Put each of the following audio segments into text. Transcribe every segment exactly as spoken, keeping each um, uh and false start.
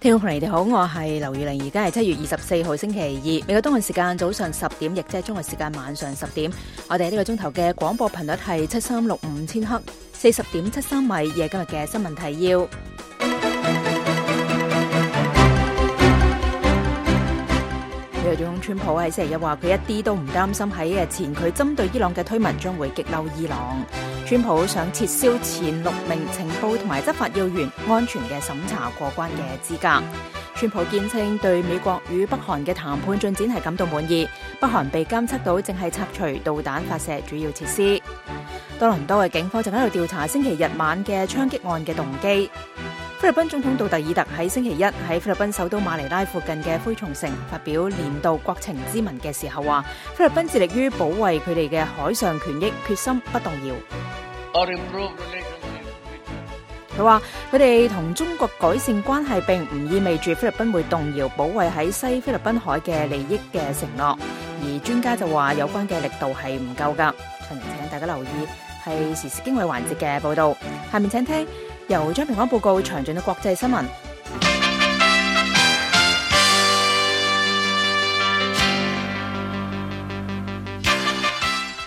聽眾朋友你哋好，我係劉宇玲，而家係七月二十四號星期二，美國東岸時間早上十點，亦即係中國時間晚上十點。我哋呢個鐘頭嘅廣播頻率係七三六五千赫，四十點七三米。夜今日嘅新聞提要。美國總統川普喺星期一話，佢一啲都唔擔心喺日前佢針對伊朗嘅推文將會激嬲伊朗。川普想撤銷前六名情報同埋執法要員安全嘅審查過關嘅資格。川普堅稱對美國與北韓嘅談判進展係感到滿意。北韓被監測到正係拆除導彈發射主要設施。多倫多嘅警方正喺度調查星期日晚嘅槍擊案嘅動機。菲律賓總統杜特爾特喺星期一喺菲律賓首都馬尼拉附近嘅灰松城發表年度國情咨文嘅時候話，菲律賓致力於保衛佢哋嘅海上權益，決心不動搖。佢話佢哋同中國改善關係並唔意味住菲律賓會動搖保衛喺西菲律賓海嘅利益嘅承諾，而專家就話有關嘅力度係唔夠噶。請大家留意係時事經緯環節嘅報道。下面請聽由張平安報告詳盡嘅國際新聞。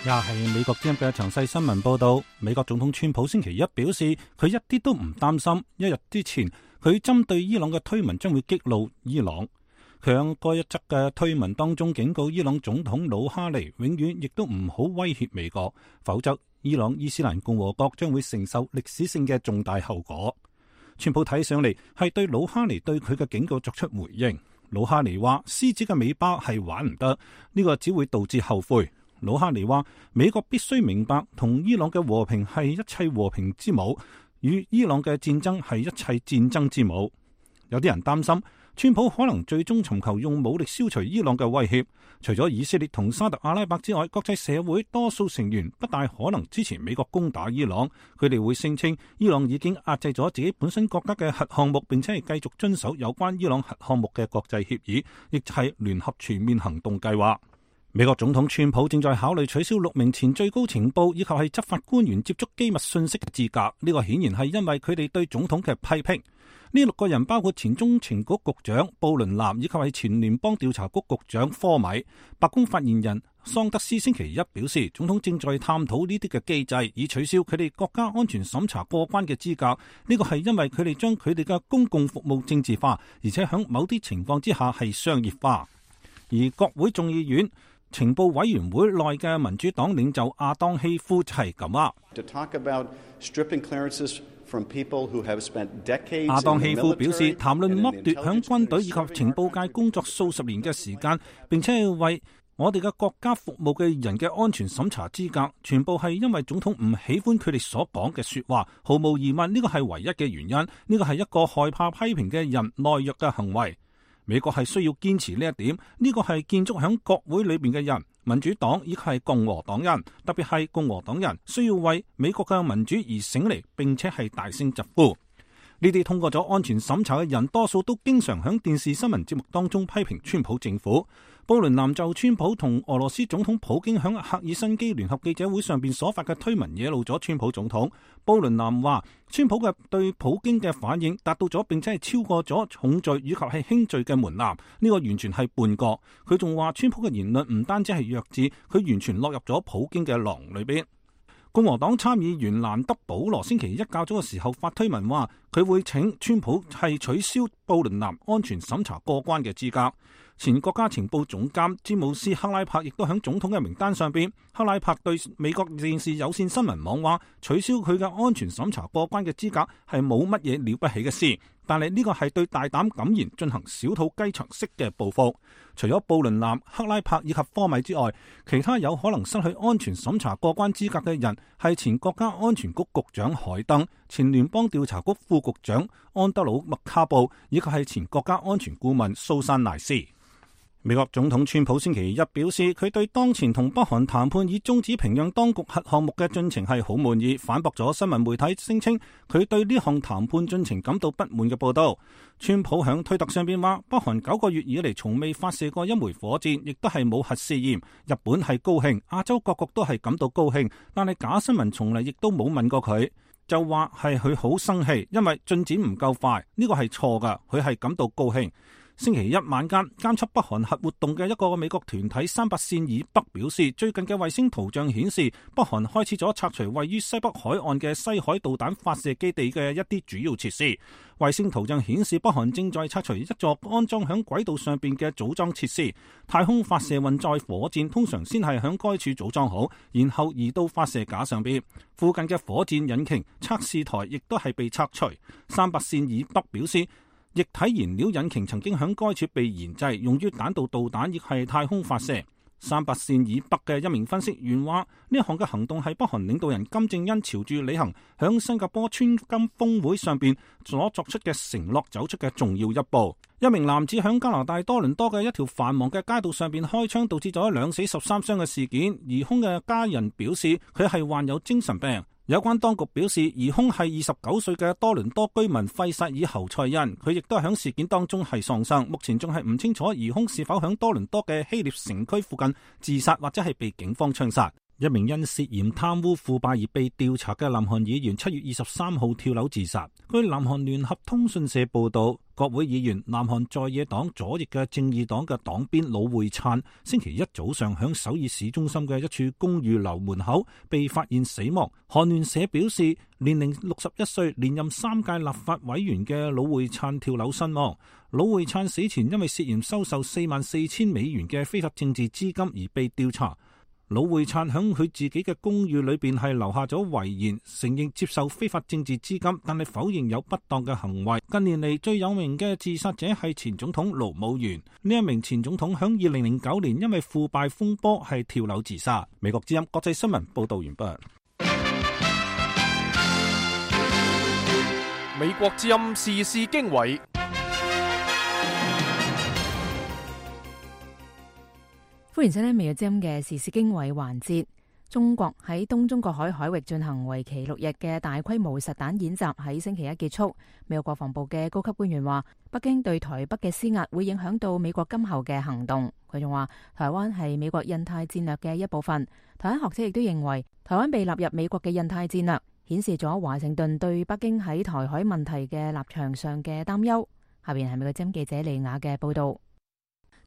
又係美國之音嘅詳細新聞報道。美國總統川普星期一表示，佢一啲都唔擔心一日之前佢針對伊朗嘅推文將會激怒伊朗。佢喺該一則嘅推文當中警告伊朗總統魯哈尼永遠亦都唔好威脅美國，否則伊朗伊斯蘭共和國將會承受歷史性嘅重大後果。川普睇上嚟係對魯哈尼對佢嘅警告作出回應。魯哈尼話獅子嘅尾巴係玩唔得，呢個只會導致後悔。魯哈尼話美國必須明白同伊朗嘅和平係一切和平之母，與伊朗嘅戰爭係一切戰爭之母。有啲人擔心川普可能最終尋求用武力消除伊朗嘅威脅。除咗以色列同沙特阿拉伯之外，國際社會多數成員不大可能支持美國攻打伊朗。佢哋會聲稱伊朗已經壓制咗自己本身國家嘅核項目，並且係繼續遵守有關伊朗核項目嘅國際協議，亦係聯合全面行動計劃。美國總統川普正在考慮取消六名前最高情報以及係執法官員接觸機密信息嘅資格。呢個顯然係因為佢哋對總統嘅批評。呢六個人包括前中情局局長布倫南以及係前聯邦調查局局長科米。白宮發言人桑德斯星期一表示，總統正在探討呢啲嘅機制，以取消佢哋國家安全審查過關嘅資格。呢個係因為佢哋將佢哋嘅公共服務政治化，而且喺某啲情況之下係商業化。而國會眾議院情報委員會內嘅民主黨領袖亞當希夫就係咁啊。亞當希夫表示，談論剝奪響軍隊以及情報界工作數十年嘅時間，並且係為我哋嘅國家服務嘅人嘅安全審查資格，全部係因為總統唔喜歡佢哋所講嘅說話。毫無疑問，呢個係唯一嘅原因。呢個係一個害怕批評嘅人懦弱嘅行為。美國係需要堅持呢一點，呢個係建築喺國會裏邊嘅人，民主黨以及係共和黨人，特別係共和黨人需要為美國嘅民主而醒嚟，並且係大聲疾呼。呢啲通過咗安全審查嘅人，多數都經常喺電視新聞節目當中批評川普政府。布倫南就川普同俄羅斯總統普京喺赫爾辛基聯合記者會上邊所發嘅推文惹怒咗川普總統。布倫南話，川普嘅對普京嘅反應達到咗並且係超過咗重罪以及係輕罪嘅門檻，呢個完全係叛國。佢仲話川普嘅言論唔單止係弱智，佢完全落入咗普京嘅囊裏邊。共和黨參議員蘭德保羅星期一較早嘅時候發推文話，佢會請川普係取消布倫南安全審查過關嘅資格。前國家情報總監詹姆斯克拉柏亦都喺總統嘅名單上邊。克拉柏對美國電視有線新聞網話，取消佢嘅安全審查過關嘅資格係冇乜嘢了不起嘅事，但係呢個係對大膽敢言進行小肚雞腸式嘅報復。除咗布倫南、克拉柏以及科米之外，其他有可能失去安全審查過關資格嘅人係前國家安全局局長海登、前聯邦調查局副局長安德魯麥卡布以及係前國家安全顧問蘇珊賴斯。美國總統川普星期一表示，佢對當前同北韓談判以終止平壤當局核項目嘅進程係好滿意，反駁咗新聞媒體聲稱佢對呢項談判進程感到不滿嘅報道。川普響推特上邊話，北韓九個月以嚟從未發射過一枚火箭，亦都係冇核試驗。日本係高興，亞洲各國都係感到高興，但係假新聞從嚟亦都冇問過佢。就話係佢好生氣，因為進展唔夠快，呢個係錯㗎，佢係感到高興。星期一晚間，監測北韓核活動嘅一個美國團體三八線以北表示，最近嘅衛星圖像顯示，北韓開始咗拆除位於西北海岸嘅西海導彈發射基地嘅一啲主要設施。衛星圖像顯示，北韓正在拆除一座安裝響軌道上邊嘅組裝設施。太空發射運載火箭通常先係響該處組裝好，然後移到發射架上邊。附近嘅火箭引擎測試台亦都係被拆除。三八線以北表示，液體燃料引擎曾經響該處被研製，用於彈道導彈亦係太空發射。三八線以北嘅一名分析員話，呢一項嘅行動係北韓領導人金正恩朝住履行響新加坡川金峰會上邊所作出嘅承諾走出嘅重要一步。一名男子響加拿大多倫多嘅一條繁忙嘅街道上邊開槍，導致咗兩死十三傷嘅事件。疑兇嘅家人表示，佢係患有精神病。有關當局表示，疑兇係二十九歲嘅多倫多居民費薩爾侯賽恩，佢亦都喺事件當中係喪生。目前仲係唔清楚疑兇是否喺多倫多嘅希臘城區附近自殺，或者係被警方槍殺。一名因涉嫌貪污腐敗而被調查嘅南韓議員七月二十三號跳樓自殺。據南韓聯合通訊社報道，國會議員南韓在野黨左翼嘅正義黨嘅黨鞭魯會燦星期一早上響首爾市中心嘅一處公寓樓門口被發現死亡。韓聯社表示，年齡六十一歲、連任三屆立法委員嘅魯會燦跳樓身亡。魯會燦死前因為涉嫌收受四萬四千美元嘅非法政治資金而被調查。魯會燦響佢自己嘅公寓裏邊係留下咗遺言，承認接受非法政治資金，但係否認有不當嘅行為。近年嚟最有名嘅自殺者係前總統盧武鉉。呢一名前總統響二零零九年因為腐敗風波係跳樓自殺。美國之音國際新聞報道完畢。美國之音時事經緯。歡迎收聽《美國之音》嘅時事經緯環節。中國喺東中國海海域進行為期六日嘅大規模實彈演習喺星期一結束。美國國防部嘅高級官員話，北京對台北嘅施壓會影響到美國今後嘅行動。佢仲話，台灣係美國印太戰略嘅一部分。台灣學者亦都認為，台灣被納入美國嘅印太戰略，顯示咗華盛頓對北京喺台海問題嘅立場上嘅擔憂。下邊係美國之音記者李雅嘅報道。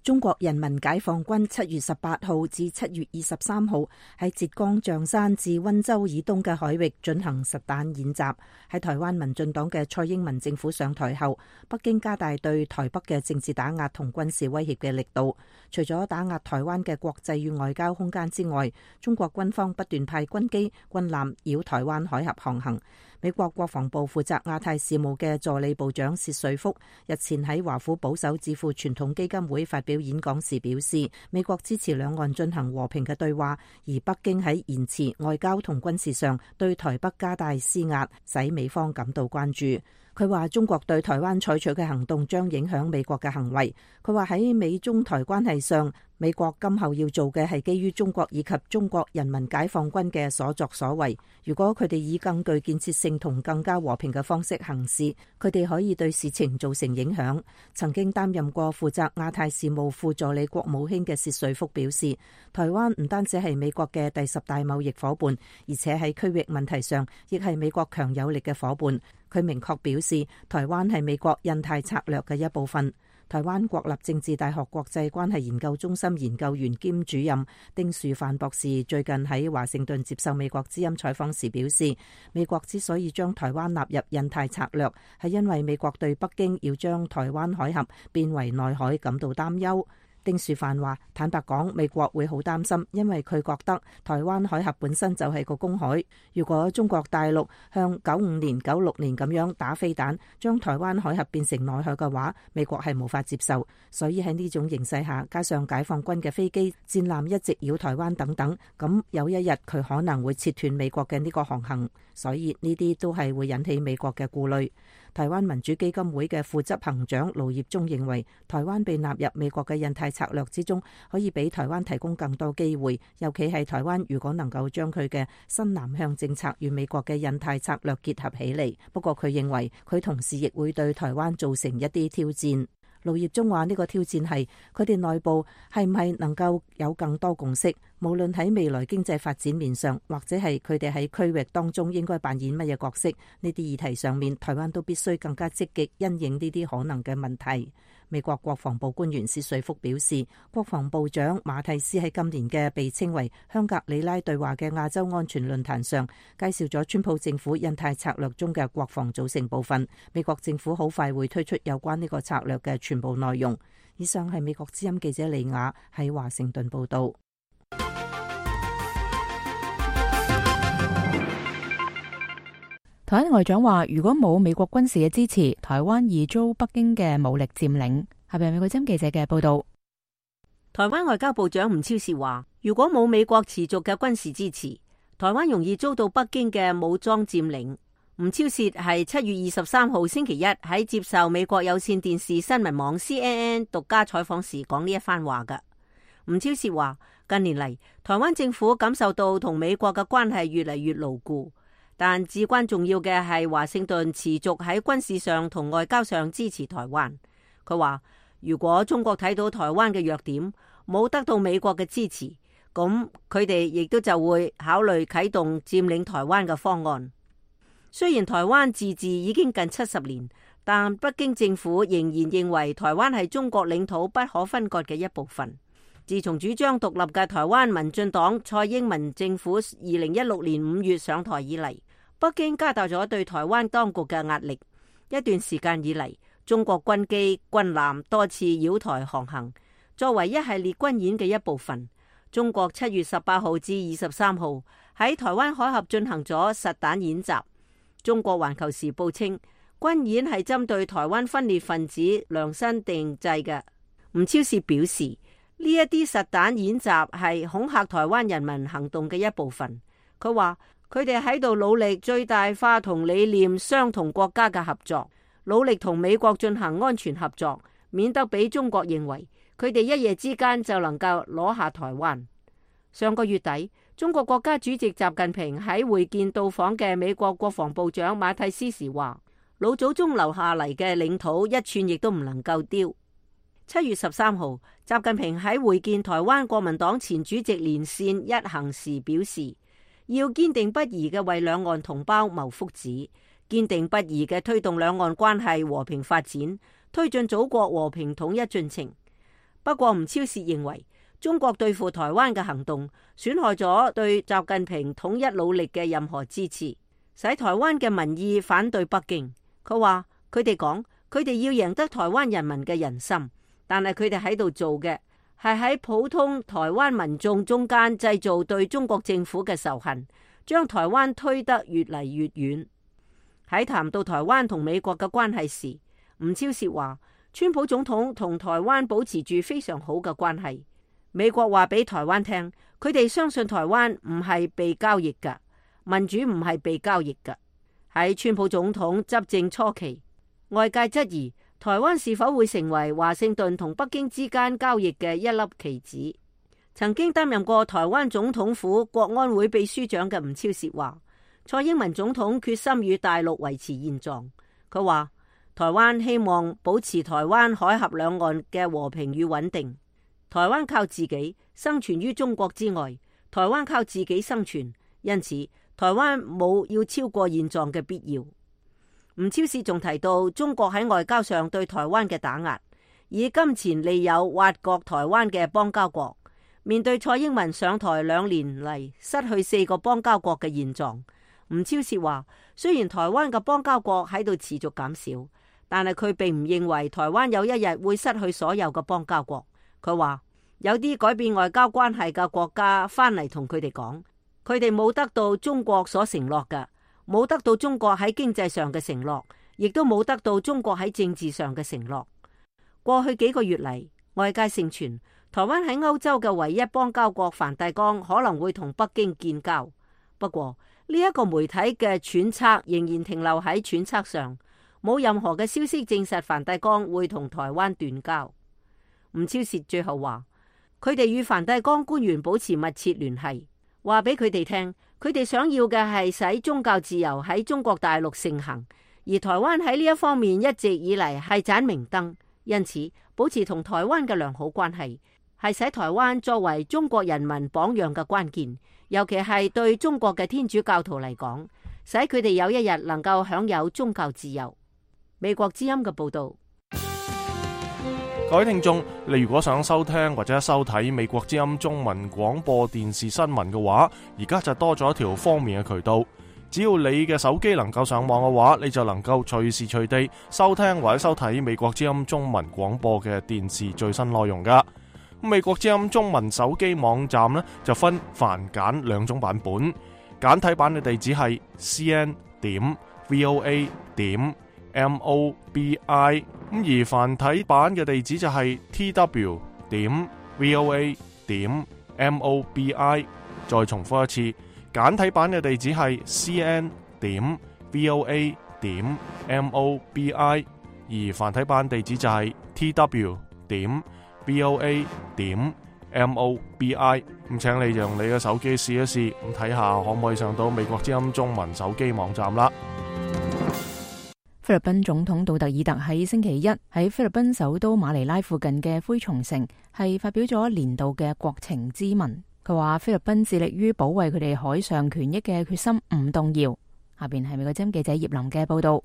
中國人民解放軍七月十八號至七月二十三號喺浙江象山至溫州以東嘅海域進行實彈演習。喺台灣民進黨嘅蔡英文政府上台後，北京加大對台北嘅政治打壓同軍事威脅嘅力度。除咗打壓台灣嘅國際與外交空間之外，中國軍方不斷派軍機、軍艦繞台灣海峽航行。美國國防部負責亞太事務嘅助理部長薛瑞福日前喺華府保守智庫傳統基金會發表演講時表示，美國支持兩岸進行和平嘅對話，而北京喺言辭、外交同軍事上對台北加大施壓，使美方感到關注。佢話中國對台灣採取嘅行動將影響美國嘅行為。佢話喺美中台關係上，美國今後要做嘅係基於中國以及中國人民解放軍嘅所作所為。如果佢哋以更具建設性同更加和平嘅方式行事，佢哋可以對事情造成影響。曾經擔任過負責亞太事務副助理國務卿嘅薛瑞福表示，台灣唔單止係美國嘅第十大貿易夥伴，而且喺區域問題上亦係美國強有力嘅夥伴。佢明確表示，台灣係美國印太策略嘅一部分。台灣國立政治大學國際關係研究中心研究員兼主任丁樹範博士最近喺華盛頓接受美國之音採訪時表示，美國之所以將台灣納入印太策略，係因為美國對北京要將台灣海峽變為內海感到擔憂。丁樹範話：坦白講，美國會好擔心，因為佢覺得台灣海峽本身就係個公海。如果中國大陸向九五年、九六年咁樣打飛彈，將台灣海峽變成內海嘅話，美國係無法接受。所以喺呢種形勢下，加上解放軍嘅飛機、戰艦一直繞台灣等等，咁有一日佢可能會切斷美國嘅呢個航行。所以呢啲都係會引起美國嘅顧慮。台灣民主基金會嘅副執行長盧業忠認為，台灣被納入美國嘅印太策略之中，可以俾台灣提供更多機會，尤其係台灣如果能夠將佢嘅新南向政策與美國嘅印太策略結合起嚟。不過佢認為，佢同時亦會對台灣造成一啲挑戰。盧業忠話呢個挑戰係佢哋內部係唔係能夠有更多共識，無論喺未來經濟發展面上，或者係佢哋喺區域當中應該扮演乜嘢角色，呢啲議題上面，台灣都必須更加積極因應呢啲可能嘅問題。美國國防部官員薛瑞福表示，國防部長馬蒂斯喺今年嘅被稱為香格里拉對話嘅亞洲安全論壇上，介紹咗川普政府印太策略中嘅國防組成部分。美國政府好快會推出有關呢個策略嘅全部內容。以上係美國之音記者李雅喺華盛頓報道。台灣外長話，如果冇美國軍事嘅支持，台灣易遭北京嘅武力佔領。下邊係美國之音記者嘅報道。台灣外交部長吳釗燮話，如果冇美國持續嘅軍事支持，台灣容易遭到北京嘅武裝佔領。吳釗燮係七月二十三號星期一喺接受美國有線電視新聞網 C N N 獨家採訪時講呢一番話嘅。吳釗燮話，近年嚟，台灣政府感受到同美國嘅關係越嚟越牢固。但至關重要嘅係華盛頓持續喺軍事上同外交上支持台灣。佢話，如果中國睇到台灣嘅弱點，冇得到美國嘅支持，咁佢哋亦都就會考慮啟動佔領台灣嘅方案。雖然台灣自治已經近七十年，但北京政府仍然認為台灣係中國領土不可分割嘅一部分。自從主張獨立嘅台灣民進黨蔡英文政府二零一六年五月上台以嚟，北京加大咗對台灣當局嘅壓力。一段時間以嚟，中國軍機、軍艦多次繞台航行，作為一系列軍演嘅一部分。中國七月十八號至二十三號喺台灣海峽進行咗實彈演習。中國環球時報稱，軍演係針對台灣分裂分子量身定製嘅。吳釗燮表示，呢一啲實彈演習係恐嚇台灣人民行動嘅一部分。佢話，佢哋喺度努力最大化同理念相同國家嘅合作，努力同美國進行安全合作，免得俾中國認為佢哋一夜之間就能夠攞下台灣。上個月底，中國國家主席習近平喺會見到訪嘅美國國防部長馬蒂斯時話，老祖宗留下嚟嘅領土一寸亦都唔能夠丟。七月十三號，習近平喺會見台灣國民黨前主席連線一行時表示，要堅定不移嘅為兩岸同胞謀福祉，堅定不移嘅推動兩岸關係和平發展，推進祖國和平統一進程。不過吳釗燮認為，中國對付台灣嘅行動損害咗對習近平統一努力嘅任何支持，使台灣嘅民意反對北京。佢話，佢哋講，佢哋要贏得台灣人民嘅人心，但係佢哋喺度做嘅係喺普通台灣民眾中間製造對中國政府嘅仇恨，將台灣推得越嚟越遠。喺談到台灣同美國嘅關係時，吳釗燮話，川普總統同台灣保持住非常好嘅關係。美國話俾台灣聽，佢哋相信台灣唔係被交易㗎，民主唔係被交易㗎。喺川普總統執政初期，外界質疑台灣是否會成為華盛頓同北京之間交易嘅一粒棋子。曾經擔任過台灣總統府國安會秘書長嘅吳釗燮話，蔡英文總統決心與大陸維持現狀。佢話，台灣希望保持台灣海峽兩岸嘅和平與穩定。台灣靠自己生存於中國之外，台灣靠自己生存，因此台灣冇要超過現狀嘅必要。吳釗燮仲提到，中國喺外交上對台灣嘅打壓，以金錢利誘挖角台灣嘅邦交國。面對蔡英文上台兩年嚟失去四個邦交國嘅現狀，吳釗燮話，雖然台灣嘅邦交國喺度持續減少，但係佢並唔認為台灣有一日會失去所有嘅邦交國。佢話，有啲改變外交關係嘅國家翻嚟同佢哋講，佢哋冇得到中國所承諾嘅，冇得到中國喺經濟上嘅承諾，亦都冇得到中國喺政治上嘅承諾。過去幾個月嚟，外界盛傳台灣喺歐洲嘅唯一邦交國梵蒂岡可能會同北京建交。不過呢一個媒體嘅揣測仍然停留喺揣測上，冇任何嘅消息證實梵蒂岡會同台灣斷交。吳釗燮最後話，佢哋與梵蒂岡官員保持密切聯繫，話俾佢哋聽，佢哋想要嘅係使宗教自由喺中國大陸盛行，而台灣喺呢一方面一直以嚟係盞明燈，因此保持同台灣嘅良好關係，係使台灣作為中國人民榜樣嘅關鍵，尤其係對中國嘅天主教徒嚟講，使佢哋有一日能夠享有宗教自由。美國之音嘅報道。各位聽眾，你如果想收聽或者收睇美國之音中文廣播電視新聞嘅話，而家就多咗一條方便嘅渠道。只要你嘅手機能夠上網嘅話，你就能夠隨時隨地收聽或者收睇美國之音中文廣播嘅電視最新內容噶。美國之音中文手機網站呢，就分繁簡兩種版本，簡體版嘅地址係 c n 點 v o a 點 m o b i， 咁而繁體版嘅地址就係 t w 點 v o a 點 m o b i。 再重複一次，簡體版嘅地址係 c n 點 v o a 點 m o b i， 而繁體版地址就係 t w 點 v o a 點 m o b i。 咁請你用你嘅手機試一試，咁睇下可唔可以上到美國之音中文手機網站啦。菲律賓總統杜特爾特喺星期一喺菲律賓首都馬尼拉附近嘅灰松城係發表咗年度嘅國情咨文。佢話菲律賓致力於保衛佢哋海上權益嘅決心唔動搖。下邊係美國之音記者葉林嘅報道。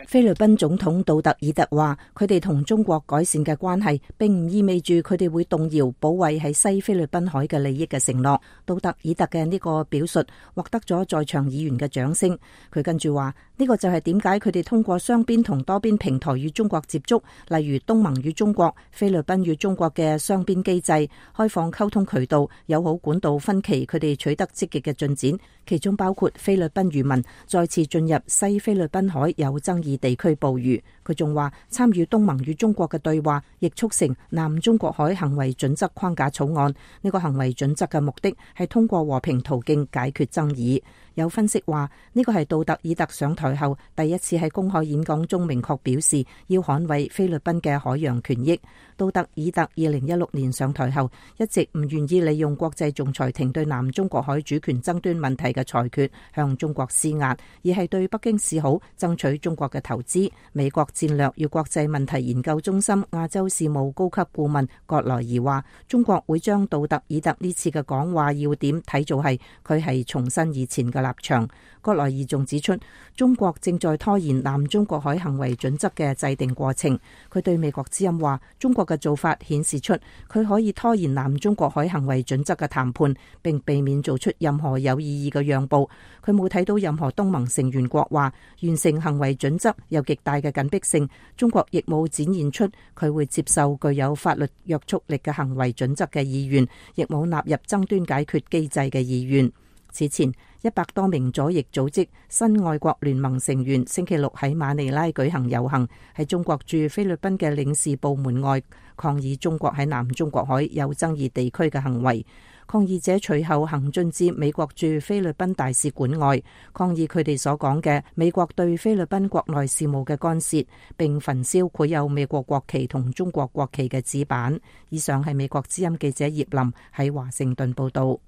菲律賓總統杜特爾特話，佢哋同中國改善嘅關係，並唔意味住佢哋會動搖保衛喺西菲律賓海嘅利益嘅承諾。杜特爾特嘅呢個表述獲得咗在場議員嘅掌聲。佢跟住話，呢個就係點解佢哋通過雙邊同多邊平台與中國接觸，例如東盟與中國、菲律賓與中國嘅雙邊機制、開放溝通渠道、友好管道分歧，佢哋取得積極嘅進展，其中包括菲律賓漁民再次進入西菲律賓海有爭議地區捕魚。佢仲話，參與東盟與中國嘅對話，亦促成南中國海行為準則框架草案。呢個行為準則嘅目的係通過和平途徑解決爭議。有分析話，呢個係杜特爾特上台後第一次喺公開演講中明確表示要捍衛菲律賓嘅海洋權益。杜特爾特二零一六年上台後，一直唔願意利用國際仲裁庭對南中國海主權爭端問題嘅裁決向中國施壓，而係對北京示好，爭取中國嘅投資。美國戰略與國際問題研究中心亞洲事務高級顧問葛萊儀話，中國會將杜特爾特呢次嘅講話要點睇做係佢係重申以前嘅立場。葛萊儀仲指出，中國正在拖延南中國海行為準則嘅制定過程。佢對美國之音話，中國嘅做法顯示出佢可以拖延南中國海行為準則嘅談判，並避免做出任何有意義嘅讓步。佢冇睇到任何東盟成員國話完成行為準則有極大嘅緊迫性，中國亦冇展現出佢會接受具有法律約束力嘅行為準則嘅意願，亦冇納入爭端解決機制嘅意願。此前，一百多名左翼組織新愛國聯盟成員星期六喺馬尼拉舉行遊行，喺中國駐菲律賓嘅領事部門外抗議中國喺南中國海有爭議地區嘅行為。抗議者隨後行進至美國駐菲律賓大使館外，抗議佢哋所講嘅美國對菲律賓國內事務嘅干涉，並焚燒繪有美國國旗同中國國旗嘅紙板。以上係美國之音記者葉林喺華盛頓報道。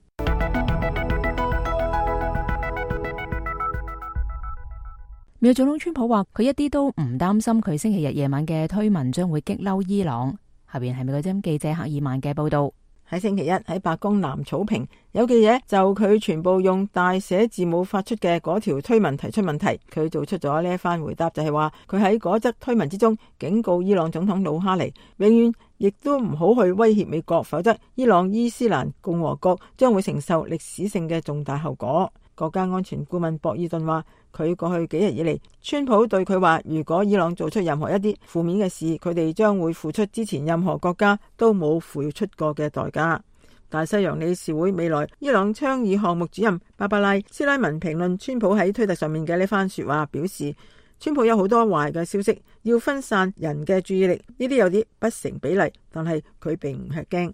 美國總統川普話，佢一啲都唔擔心佢星期日夜晚嘅推文將會激嬲伊朗。下邊係美國之音記者赫爾曼嘅報道。喺星期一喺白宮南草坪，有記者就佢全部用大寫字母發出嘅嗰條推文提出問題，佢做出咗呢一番回答，就係話佢喺嗰則推文之中警告伊朗總統魯哈尼，永遠亦都唔好去威脅美國，否則伊朗伊斯蘭共和國將會承受歷史性嘅重大後果。國家安全顧問博爾頓話，佢過去幾日以嚟，川普對佢話，如果伊朗做出任何一啲負面嘅事，佢哋將會付出之前任何國家都冇付出過嘅代價。大西洋理事會未來伊朗倡議項目主任芭芭拉斯拉文評論川普喺推特上面嘅呢番說話，表示川普有好多壞嘅消息，要分散人嘅注意力，呢啲有啲不成比例，但係佢並唔吃驚。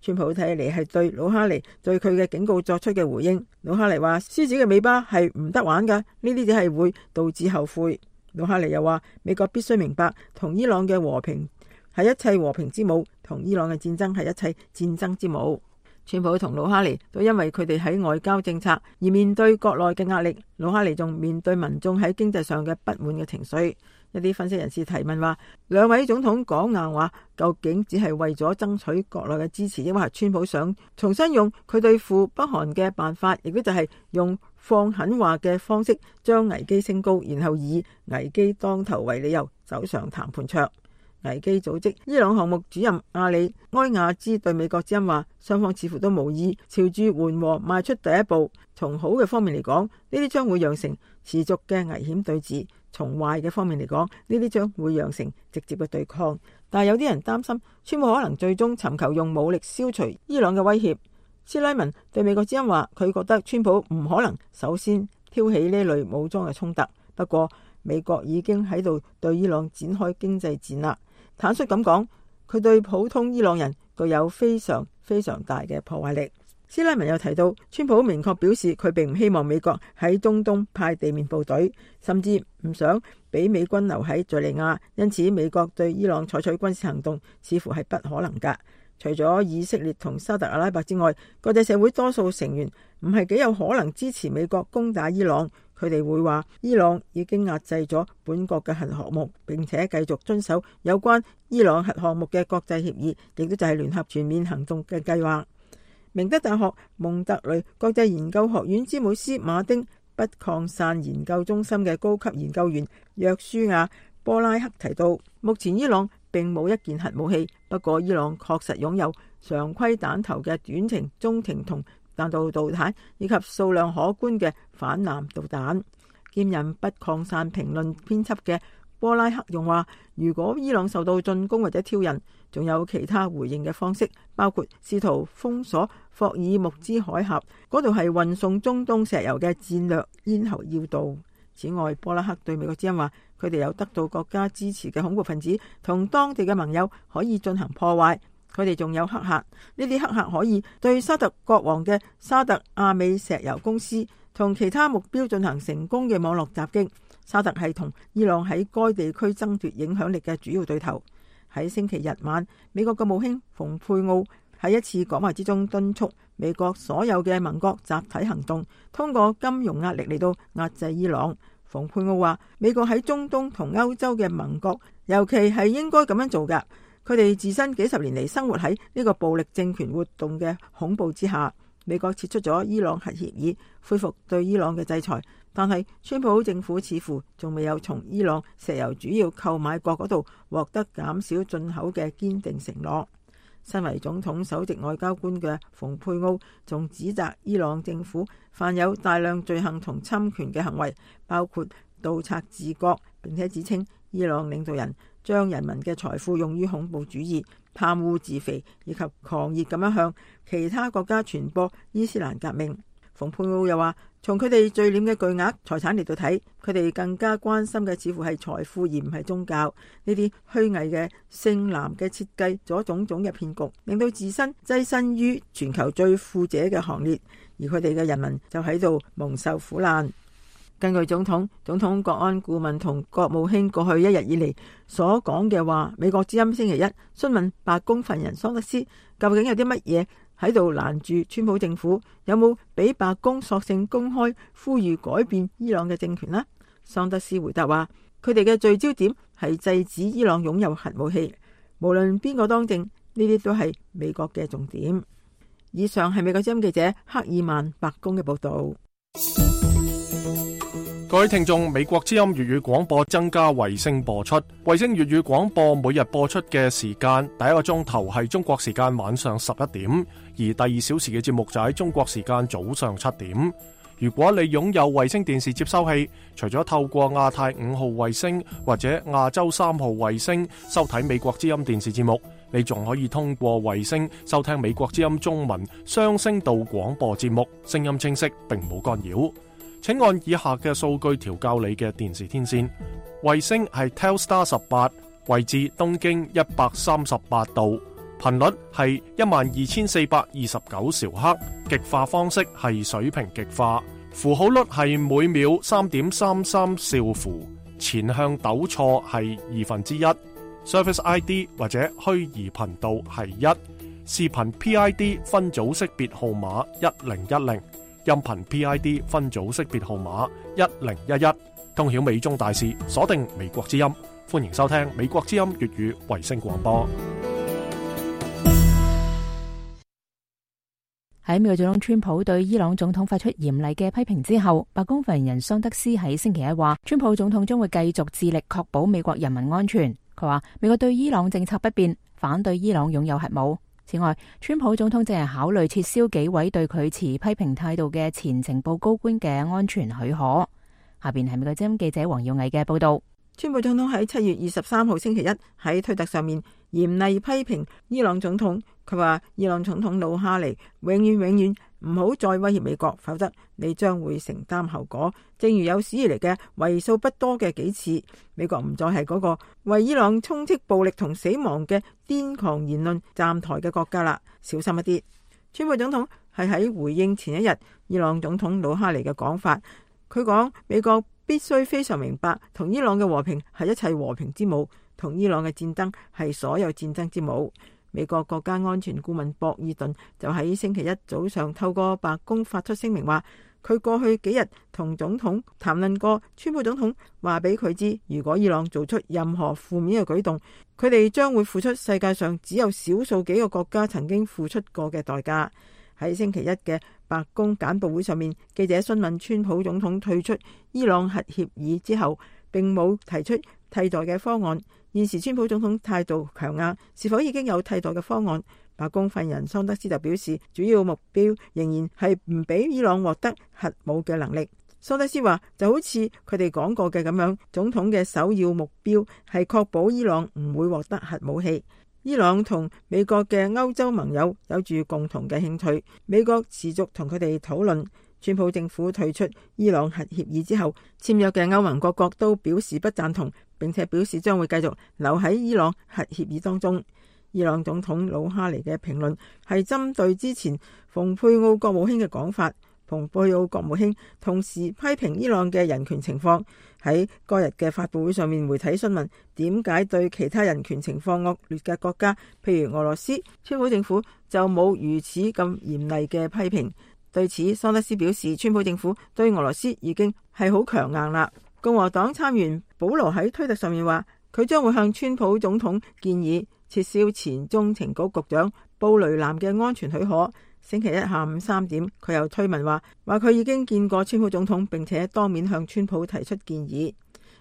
川普睇嚟係對魯哈尼對佢嘅警告作出嘅回應。魯哈尼話，獅子嘅尾巴係唔得玩噶，呢啲只係會導致後悔。魯哈尼又話，美國必須明白，同伊朗嘅和平係一切和平之母，同伊朗嘅戰爭係一切戰爭之母。川普同魯哈尼都因為佢哋喺外交政策而面對國內嘅壓力，魯哈尼仲面對民眾喺經濟上嘅不滿嘅情緒。一啲分析人士提問話，兩位總統講硬話，究竟只係為咗爭取國內嘅支持，抑或係川普想重新用佢對付北韓嘅辦法，亦都就係用放狠話嘅方式將危機升高，然後以危機當頭為理由走上談判桌。危機組織伊朗項目主任阿里埃亞茲對美國之音話，雙方似乎都無意朝住緩和邁出第一步。從好嘅方面嚟講，呢啲將會釀成持續嘅危險對峙；從壞嘅方面嚟講，呢啲將會釀成直接嘅對抗。但係有啲人擔心，川普可能最終尋求用武力消除伊朗嘅威脅。斯拉文對美國之音話，佢覺得川普唔可能首先挑起呢類武裝嘅衝突，不過美國已經喺度對伊朗展開經濟戰啦。坦率咁講，佢對普通伊朗人具有非常非常大嘅破壞力。斯拉文又提到，川普明確表示佢並唔希望美國喺中東派地面部隊，甚至唔想俾美軍留喺敘利亞，因此美國對伊朗採取軍事行動似乎係不可能㗎。除咗以色列同沙特阿拉伯之外，國際社會多數成員唔係幾有可能支持美國攻打伊朗。佢哋會話伊朗已經壓制咗本國嘅核項目，並且繼續遵守有關伊朗核項目嘅國際協議，亦都就係聯合全面行動嘅計劃。明德大學蒙特雷國際研究學院詹姆斯馬丁不擴散研究中心嘅高級研究員約書亞波拉克提到，目前伊朗並冇一件核武器，不過伊朗確實擁有常規彈頭嘅短程、中程同彈道導彈，以及數量可觀嘅反艦導彈。兼任不擴散評論編輯嘅波拉克用話，如果伊朗受到進攻或者挑釁，仲有其他回應嘅方式，包括試圖封鎖霍爾木茲海峽，嗰度係運送中東石油嘅戰略咽喉要道。此外，波拉克對美國之音話，佢哋有得到國家支持嘅恐怖分子同當地嘅盟友可以進行破壞。佢哋仲有黑客，呢啲黑客可以對沙特國王嘅沙特阿美石油公司同其他目標進行成功嘅網絡襲擊。沙特係同伊朗喺該地區爭奪影響力嘅主要對頭。喺星期日晚，美國國務卿蓬佩奧喺一次講話之中敦促美國所有嘅盟國集體行動，通過金融壓力嚟到壓制伊朗。蓬佩奧話，美國喺中東同歐洲嘅盟國，尤其係應該咁樣做㗎。佢哋自身幾十年嚟生活喺呢個暴力政權活動嘅恐怖之下。美國撤出咗伊朗核協議，恢復對伊朗嘅制裁，但係川普政府似乎仲未有從伊朗石油主要購買國嗰度獲得減少進口嘅堅定承諾。身為總統首席外交官嘅蓬佩奧仲指責伊朗政府犯有大量罪行同侵權嘅行為，包括盜賊治國，並且指稱伊朗領導人將人民嘅財富用於恐怖主義、貪污自肥，以及狂熱咁樣向其他國家傳播伊斯蘭革命。蓬佩奧又話，從佢哋聚斂嘅巨額財產嚟到睇，佢哋更加關心嘅似乎係財富而唔係宗教。呢啲虛偽嘅聖藍嘅設計咗種種嘅騙局，令到自身躋身於全球最富者嘅行列，而佢哋嘅人民就喺度蒙受苦難。根據總統、總統國安顧問同國務卿過去一日以嚟所講嘅話，美國之音星期一詢問白宮發言人桑德斯，究竟有啲乜嘢喺度攔住川普政府，有冇俾白宮索性公開呼籲改變伊朗嘅政權呢？桑德斯回答話，佢哋嘅聚焦點係制止伊朗擁有核武器，無論邊個當政，呢啲都係美國嘅重點。以上係美國之音記者克爾曼白宮嘅報道。各位聽眾，美國之音粵語廣播增加衛星播出，衛星粵語廣播每日播出嘅時間，第一個鐘頭係中國時間晚上十一點，而第二小時嘅節目就喺中國時間早上七點。如果你擁有衛星電視接收器，除咗透過亞太五號衛星或者亞洲三號衛星收睇美國之音電視節目，你仲可以通過衛星收聽美國之音中文雙聲道廣播節目，聲音清晰並冇干擾。請按以下嘅數據調校你嘅電視天線。衛星係 Telstar 十八，位置東經一百三十八度，頻率係一萬二千四百二十九兆赫，極化方式係水平極化，符號率係每秒三點三三兆符，前向抖錯係二分之一，Service I D 或者虛擬頻道係一，視頻 P I D 分組識別號碼一零一零。音頻 P I D 分組識別號碼一零一一，通曉美中大事，鎖定美國之音。歡迎收聽美國之音粵語衛星廣播。喺美國總統川普對伊朗總統發出嚴厲嘅批評之後，白宮發言人桑德斯喺星期一話，川普總統將會繼續致力確保美國人民安全。佢話美國對伊朗政策不變，反對伊朗擁有核武。此外，川普總統正係考慮撤銷幾位對佢持批評態度嘅前情報高官嘅安全許可。下邊係美國之音記者黃耀毅嘅報道。川普總統喺七月二十三號星期一喺推特上面嚴厲批評伊朗總統，佢話伊朗總統魯哈尼永遠永遠唔好再威脅美國，否則你將會承擔後果。正如有史以嚟嘅為數不多嘅幾次，美國唔再係嗰個為伊朗充斥暴力同死亡嘅癲狂言論站台嘅國家啦，小心一啲。川普總統係喺回應前一日伊朗總統魯哈尼嘅講法，佢講美國必須非常明白，同伊朗嘅和平係一切和平之母，同伊朗嘅戰爭係所有戰爭之母。美國國家安全顧問博爾頓就喺星期一早上透過白宮發出聲明話，佢過去幾日同總統談論過，川普總統話俾佢知，如果伊朗做出任何負面嘅舉動，佢哋將會付出世界上只有少數幾個國家曾經付出過嘅代價。喺星期一嘅白宮簡報會上面，記者詢問川普總統退出伊朗核協議之後，並冇提出替代嘅方案。現時川普總統態度強硬，是否已經有替代嘅方案？白宮發言人桑德斯就表示，主要目標仍然係唔俾伊朗獲得核武嘅能力。桑德斯話，就好似佢哋講過嘅咁樣，總統嘅首要目標係確保伊朗唔會獲得核武器。伊朗同美國嘅歐洲盟友有住共同嘅興趣，美國持續同佢哋討論。川普政府退出伊朗核協議之後，簽約嘅歐盟各國都表示不贊同，並且表示將會繼續留喺伊朗核協議當中。伊朗總統魯哈尼嘅評論係針對之前蓬佩奧國務卿嘅講法。蓬佩奧國務卿同時批評伊朗嘅人權情況。喺嗰日嘅發佈會上面，媒體詢問點解對其他人權情況惡劣嘅國家，譬如俄羅斯，川普政府就冇如此咁嚴厲嘅批評。對此，桑德斯表示，川普政府對俄羅斯已經係好強硬啦。共和黨參議員保羅喺推特上面話，佢將會向川普總統建議撤銷前中情局局長布雷南嘅安全許可。星期一下午三點，佢又推文話話佢已經見過川普總統，並且當面向川普提出建議。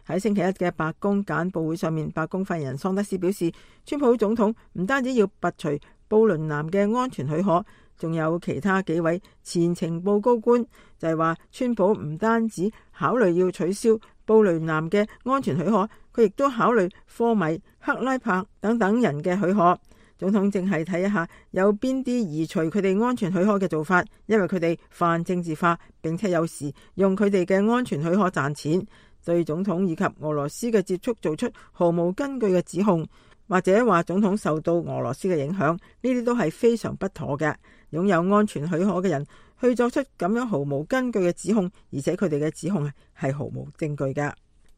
喺星期一嘅白宮簡報會上面，白宮發言人桑德斯表示，川普總統唔單止要拔除布雷南嘅安全許可，仲有其他幾位前情報高官就係話，川普唔單止考慮要取消布雷南嘅安全許可，佢亦都考慮科米、克拉柏等等人嘅許可。總統正係睇一下有邊啲移除佢哋安全許可嘅做法，因為佢哋泛政治化，並且有時用佢哋嘅安全許可賺錢，對總統以及俄羅斯嘅接觸做出毫無根據嘅指控，或者話總統受到俄羅斯嘅影響，呢啲都係非常不妥嘅。擁有安全許可嘅人去作出咁樣毫無根據嘅指控，而且佢哋嘅指控係毫無證據㗎。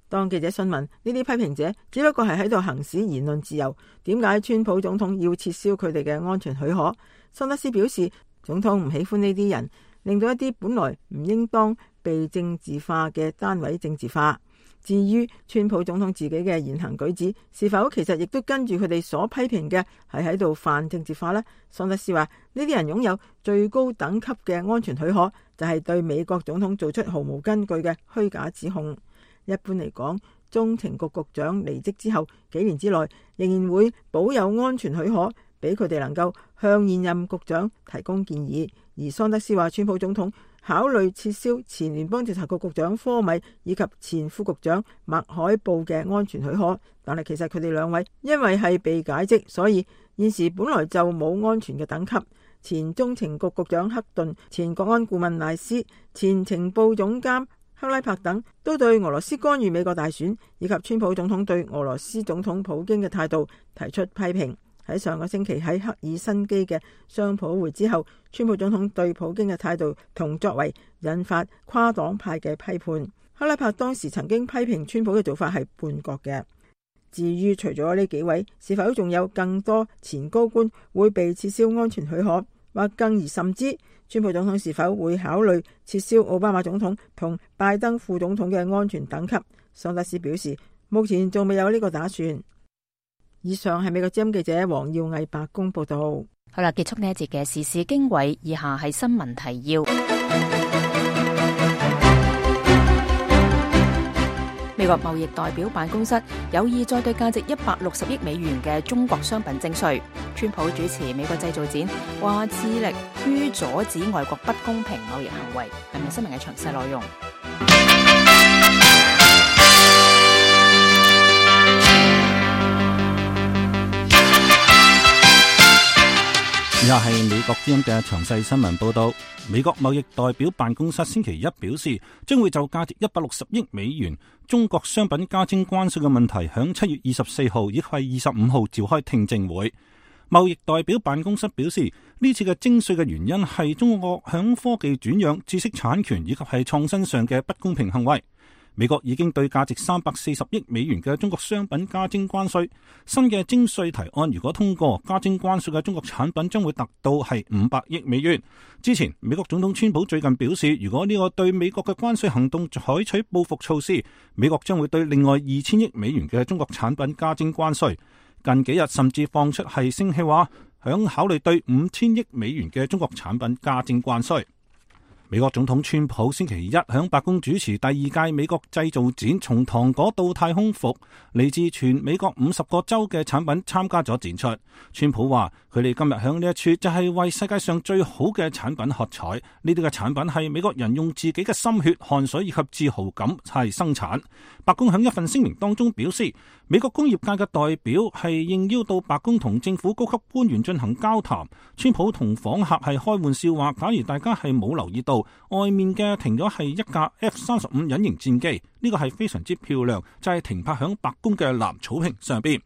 當記者詢問呢啲批評者只不過係喺度行使言論自由，點解川普總統要撤銷佢哋嘅安全許可？桑德斯表示，總統唔喜歡呢啲人，令到一啲本來唔應當被政治化嘅單位政治化。至於川普總統自己嘅言行舉止，是否其實亦都跟住佢哋所批評嘅係喺度泛政治化呢？桑德斯話，呢啲人擁有最高等級嘅安全許可，就係對美國總統做出毫無根據嘅虛假指控。一般嚟講，中情局局長離職之後幾年之內，仍然會保有安全許可，俾佢哋能夠向現任局長提供建議。而桑德斯話，川普總統考慮撤銷前聯邦調查局局長科米以及前副局長麥海布嘅安全許可，但係其實佢哋兩位因為係被解職，所以現時本來就冇安全嘅等級。前中情局局長克頓、前國安顧問賴斯、前情報總監克拉柏等都對俄羅斯干預美國大選以及川普總統對俄羅斯總統普京嘅態度提出批評。喺上個星期喺赫爾辛基嘅雙普會之後，川普總統對普京嘅態度同作為引發跨黨派嘅批判。克拉柏當時曾經批評川普嘅做法係叛國嘅。至於除咗呢幾位，是否仲有更多前高官會被撤銷安全許可？或更而甚之，川普總統是否會考慮撤銷奧巴馬總統同拜登副總統嘅安全等級？桑德斯表示，目前仲未有呢個打算。以上係美國之音記者黃耀毅白宮報道。好啦，結束呢一節嘅時事經緯，以下係新聞提要。美國貿易代表辦公室有意再對價值一百六十億美元嘅中國商品徵稅。川普主持美國製造展，話致力於阻止外國不公平貿易行為。係咪新聞嘅詳細內容？以下係美國之音嘅詳細新聞報道。美國貿易代表辦公室星期一表示，將會就價值一百六十億美元中國商品加徵關稅嘅問題，響七月二十四號亦係二十五號召開聽證會。貿易代表辦公室表示，呢次嘅徵稅嘅原因係中國響科技轉讓、知識產權以及係創新上嘅不公平行為。美國已經對價值三百四十億美元嘅中國商品加徵關稅。新嘅徵稅提案如果通過，加徵關稅嘅中國產品將會達到係五百億美元。之前美國總統川普最近表示，如果呢個對美國嘅關稅行動採取報復措施，美國將會對另外二千億美元嘅中國產品加徵關稅。近幾日甚至放出係聲氣話，響考慮對五千億美元嘅中國產品加徵關稅。美國總統川普星期一響白宮主持第二屆美國製造展，從糖果到太空服，嚟自全美國五十個州嘅產品參加咗展出。川普話佢哋今日響呢一處就係為世界上最好嘅產品喝彩，呢啲嘅產品係美國人用自己嘅心血、汗水以及自豪感係生產。白宮響一份聲明當中表示，美國工業界嘅代表係應邀到白宮同政府高級官員進行交談。川普同訪客係開玩笑話，假如大家係冇留意到，外面嘅停咗係一架 F 三十五隱形戰機，呢個係非常之漂亮，就係停泊響白宮嘅藍草坪上邊。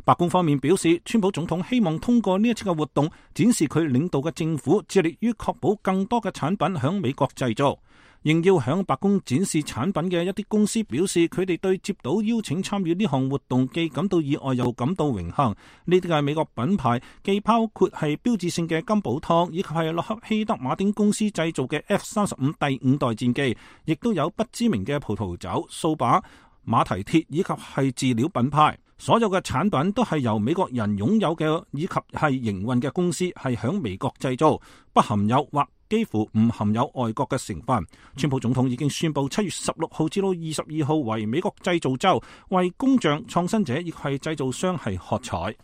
白宮方面表示，川普總統希望通過呢一次嘅活動，展示佢領導嘅政府致力於確保更多嘅產品響美國製造。應邀響白宮展示產品嘅一啲公司表示，佢哋對接到邀請參與呢項活動既感到意外又感到榮幸。呢啲嘅美國品牌既包括係標誌性嘅金寶湯，以及係洛克希德馬丁公司製造嘅 F 三十五第五代戰機，亦都有不知名嘅葡萄酒、掃把、馬蹄鐵以及係飼料品牌。所有嘅產品都係由美國人擁有嘅，以及係營運嘅公司係響美國製造，不含有或幾乎唔含有外國嘅成分。川普總統已經宣布七月十六號至到二十二號為美國製造週，為工匠、創新者亦係製造商係喝彩。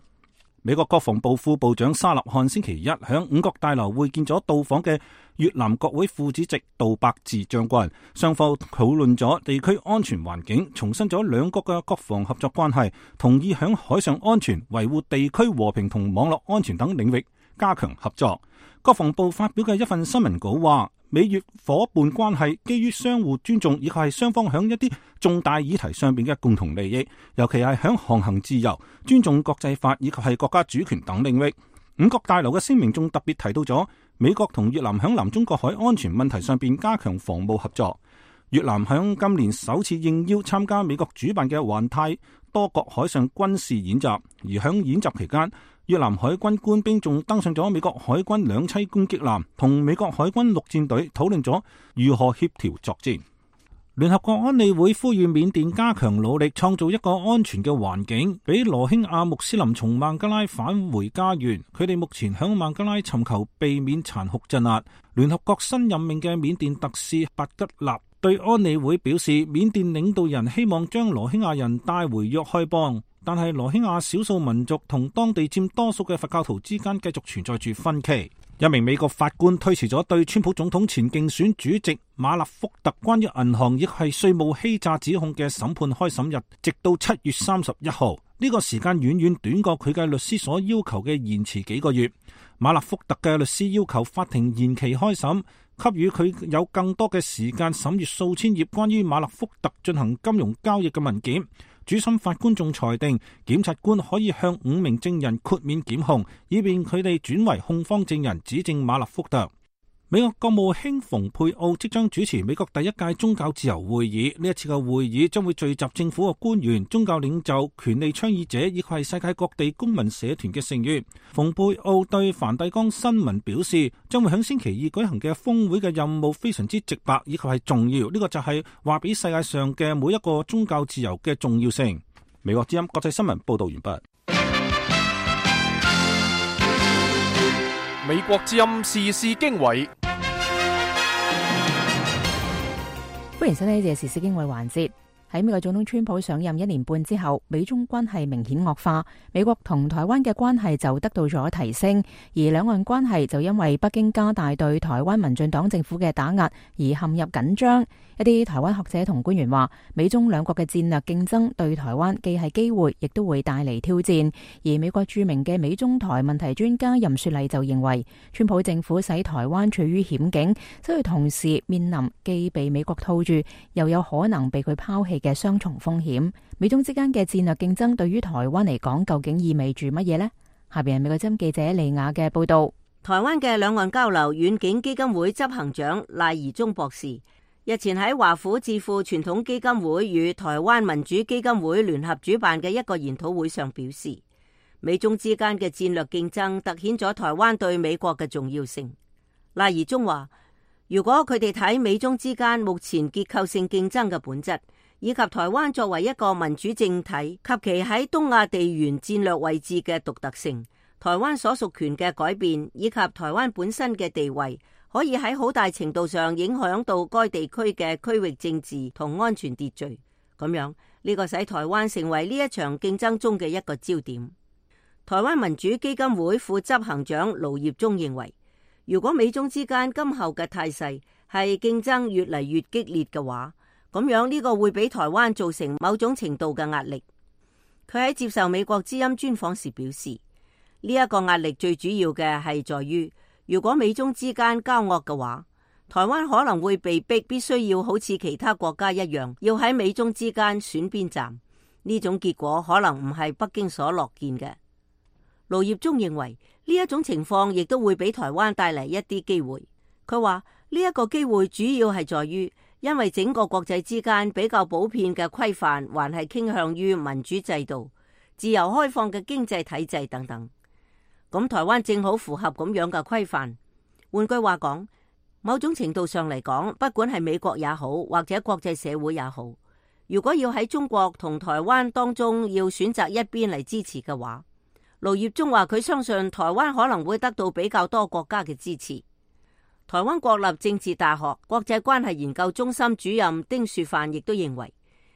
美國國防部副部長沙立漢星期一響五角大樓會見咗到訪嘅越南國會副主席杜伯治將軍，雙方討論咗地區安全環境，重申咗兩國嘅國防合作關係，同意響海上安全、維護地區和平同網絡安全等領域加強合作。國防部發表嘅一份新聞稿話，美越伙伴關係基於相互尊重，以及係雙方響一啲重大議題上邊嘅共同利益，尤其係響航行自由、尊重國際法以及係國家主權等領域。五角大樓嘅聲明仲特別提到咗美國同越南響南中國海安全問題上邊加強防務合作。越南響今年首次應邀參加美國主辦嘅環太多國海上軍事演習，而響演習期間，越南海軍官兵仲登上咗美國海軍兩棲攻擊艦，同美國海軍陸戰隊討論咗如何協調作戰。聯合國安理會呼籲緬甸加強努力，創造一個安全嘅環境，俾羅興亞穆斯林從孟加拉返回家園。佢哋目前響孟加拉尋求避免殘酷鎮壓。聯合國新任命嘅緬甸特使白吉納對安理會表示，緬甸領導人希望將羅興亞人帶回若開邦，但係羅興亞少數民族同當地佔多數嘅佛教徒之間繼續存在住分歧。一名美國法官推遲咗對川普總統前競選主席馬勒福特關於銀行亦係稅務欺詐指控嘅審判開審日，直到七月三十一號。呢個時間遠遠短過佢嘅律師所要求嘅延遲幾個月。馬勒福特嘅律師要求法庭延期開審，給予佢有更多嘅時間審閱數千頁關於馬勒福特進行金融交易嘅文件。主審法官仲裁定，檢察官可以向五名證人豁免檢控，以便佢哋轉為控方證人指證馬勒福特。美國國務卿蓬佩奧即將主持美國第一屆宗教自由會議，呢一次嘅會議將會聚集政府嘅官員、宗教領袖、權利倡議者以及係世界各地公民社團嘅成員。蓬佩奧對梵蒂岡新聞表示，將會喺星期二舉行嘅峰會嘅任務非常之直白以及係重要，呢、這個就係話俾世界上嘅每一個宗教自由嘅重要性。美國之音國際新聞報道完畢。美國之音時事經緯，歡迎收聽呢節時事經緯環節。喺美國總統川普上任一年半之後，美中關係明顯惡化，美國同台灣嘅關係就得到咗提升，而兩岸關係就因為北京加大對台灣民進黨政府嘅打壓而陷入緊張。一啲台灣學者同官員話，美中兩國嘅戰略競爭對台灣既係機會，亦都會帶嚟挑戰。而美國著名嘅美中台問題專家任雪麗就認為，川普政府使台灣處於險境，所以同時面臨既被美國套住，又有可能被佢拋棄嘅雙重風險。美中之間嘅戰略競爭對於台灣嚟講，究竟意味住乜嘢呢？下邊係美國之音記者利亞嘅報道。台灣嘅兩岸交流遠景基金會執行長賴宜中博士日前喺華府智庫傳統基金會與台灣民主基金會聯合主辦嘅一個研討會上表示，美中之間嘅戰略競爭凸顯咗台灣對美國嘅重要性。賴宜中話，如果佢哋睇美中之間目前結構性競爭嘅本質，以及台灣作為一個民主政體及其喺東亞地緣戰略位置嘅獨特性，台灣所屬權嘅改變，以及台灣本身嘅地位，可以喺好大程度上影響到該地區嘅區域政治同安全秩序。咁樣呢個使台灣成為呢一場競爭中嘅一個焦點。台灣民主基金會副執行長盧業忠認為，如果美中之間今後嘅態勢係競爭越嚟越激烈嘅話，咁樣呢個會俾台灣造成某種程度嘅壓力。佢喺接受美國之音專訪時表示，呢一個壓力最主要嘅係在於，如果美中之間交惡嘅話，台灣可能會被逼必須要好似其他國家一樣，要喺美中之間選邊站。呢種結果可能唔係北京所樂見嘅。盧業忠認為呢一種情況亦都會俾台灣帶嚟一啲機會。佢話呢一個機會主要係在於，因為整個國際之間比較普遍嘅規範還係傾向於民主制度、自由開放嘅經濟體制等等。咁台灣正好符合咁樣嘅規範。換句話講，某種程度上嚟講，不管係美國也好，或者國際社會也好，如果要喺中國同台灣當中要選擇一邊嚟支持嘅話，盧業忠話佢相信台灣可能會得到比較多國家嘅支持。台灣國立政治大學國際關係研究中心主任丁樹範亦都認為，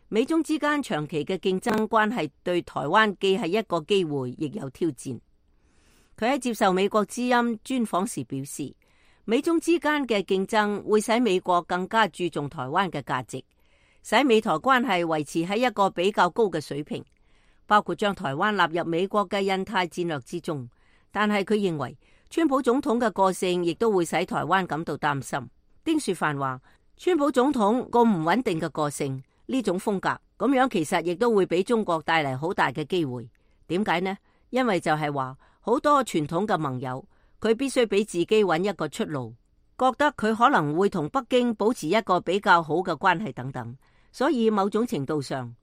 美中之間長期嘅競爭關係對台灣既係一個機會，亦有挑戰。佢喺接受美國之音專訪時表示，美中之間嘅競爭會使美國更加注重台灣嘅價值，使美台關係維持喺一個比較高嘅水平，包括將台灣納入美國嘅印太戰略之中。但係佢認為，川普總統嘅個性亦都會使台灣感到擔心。丁樹範話，川普總統個唔穩定嘅個性，呢種風格咁樣其實亦都會俾中國帶嚟好大嘅機會。點解呢？因為就係話好多傳統嘅盟友，佢必須俾自己揾一個出路，覺得佢可能會同北京保持一個比較好嘅關係等等。所以某種程度上，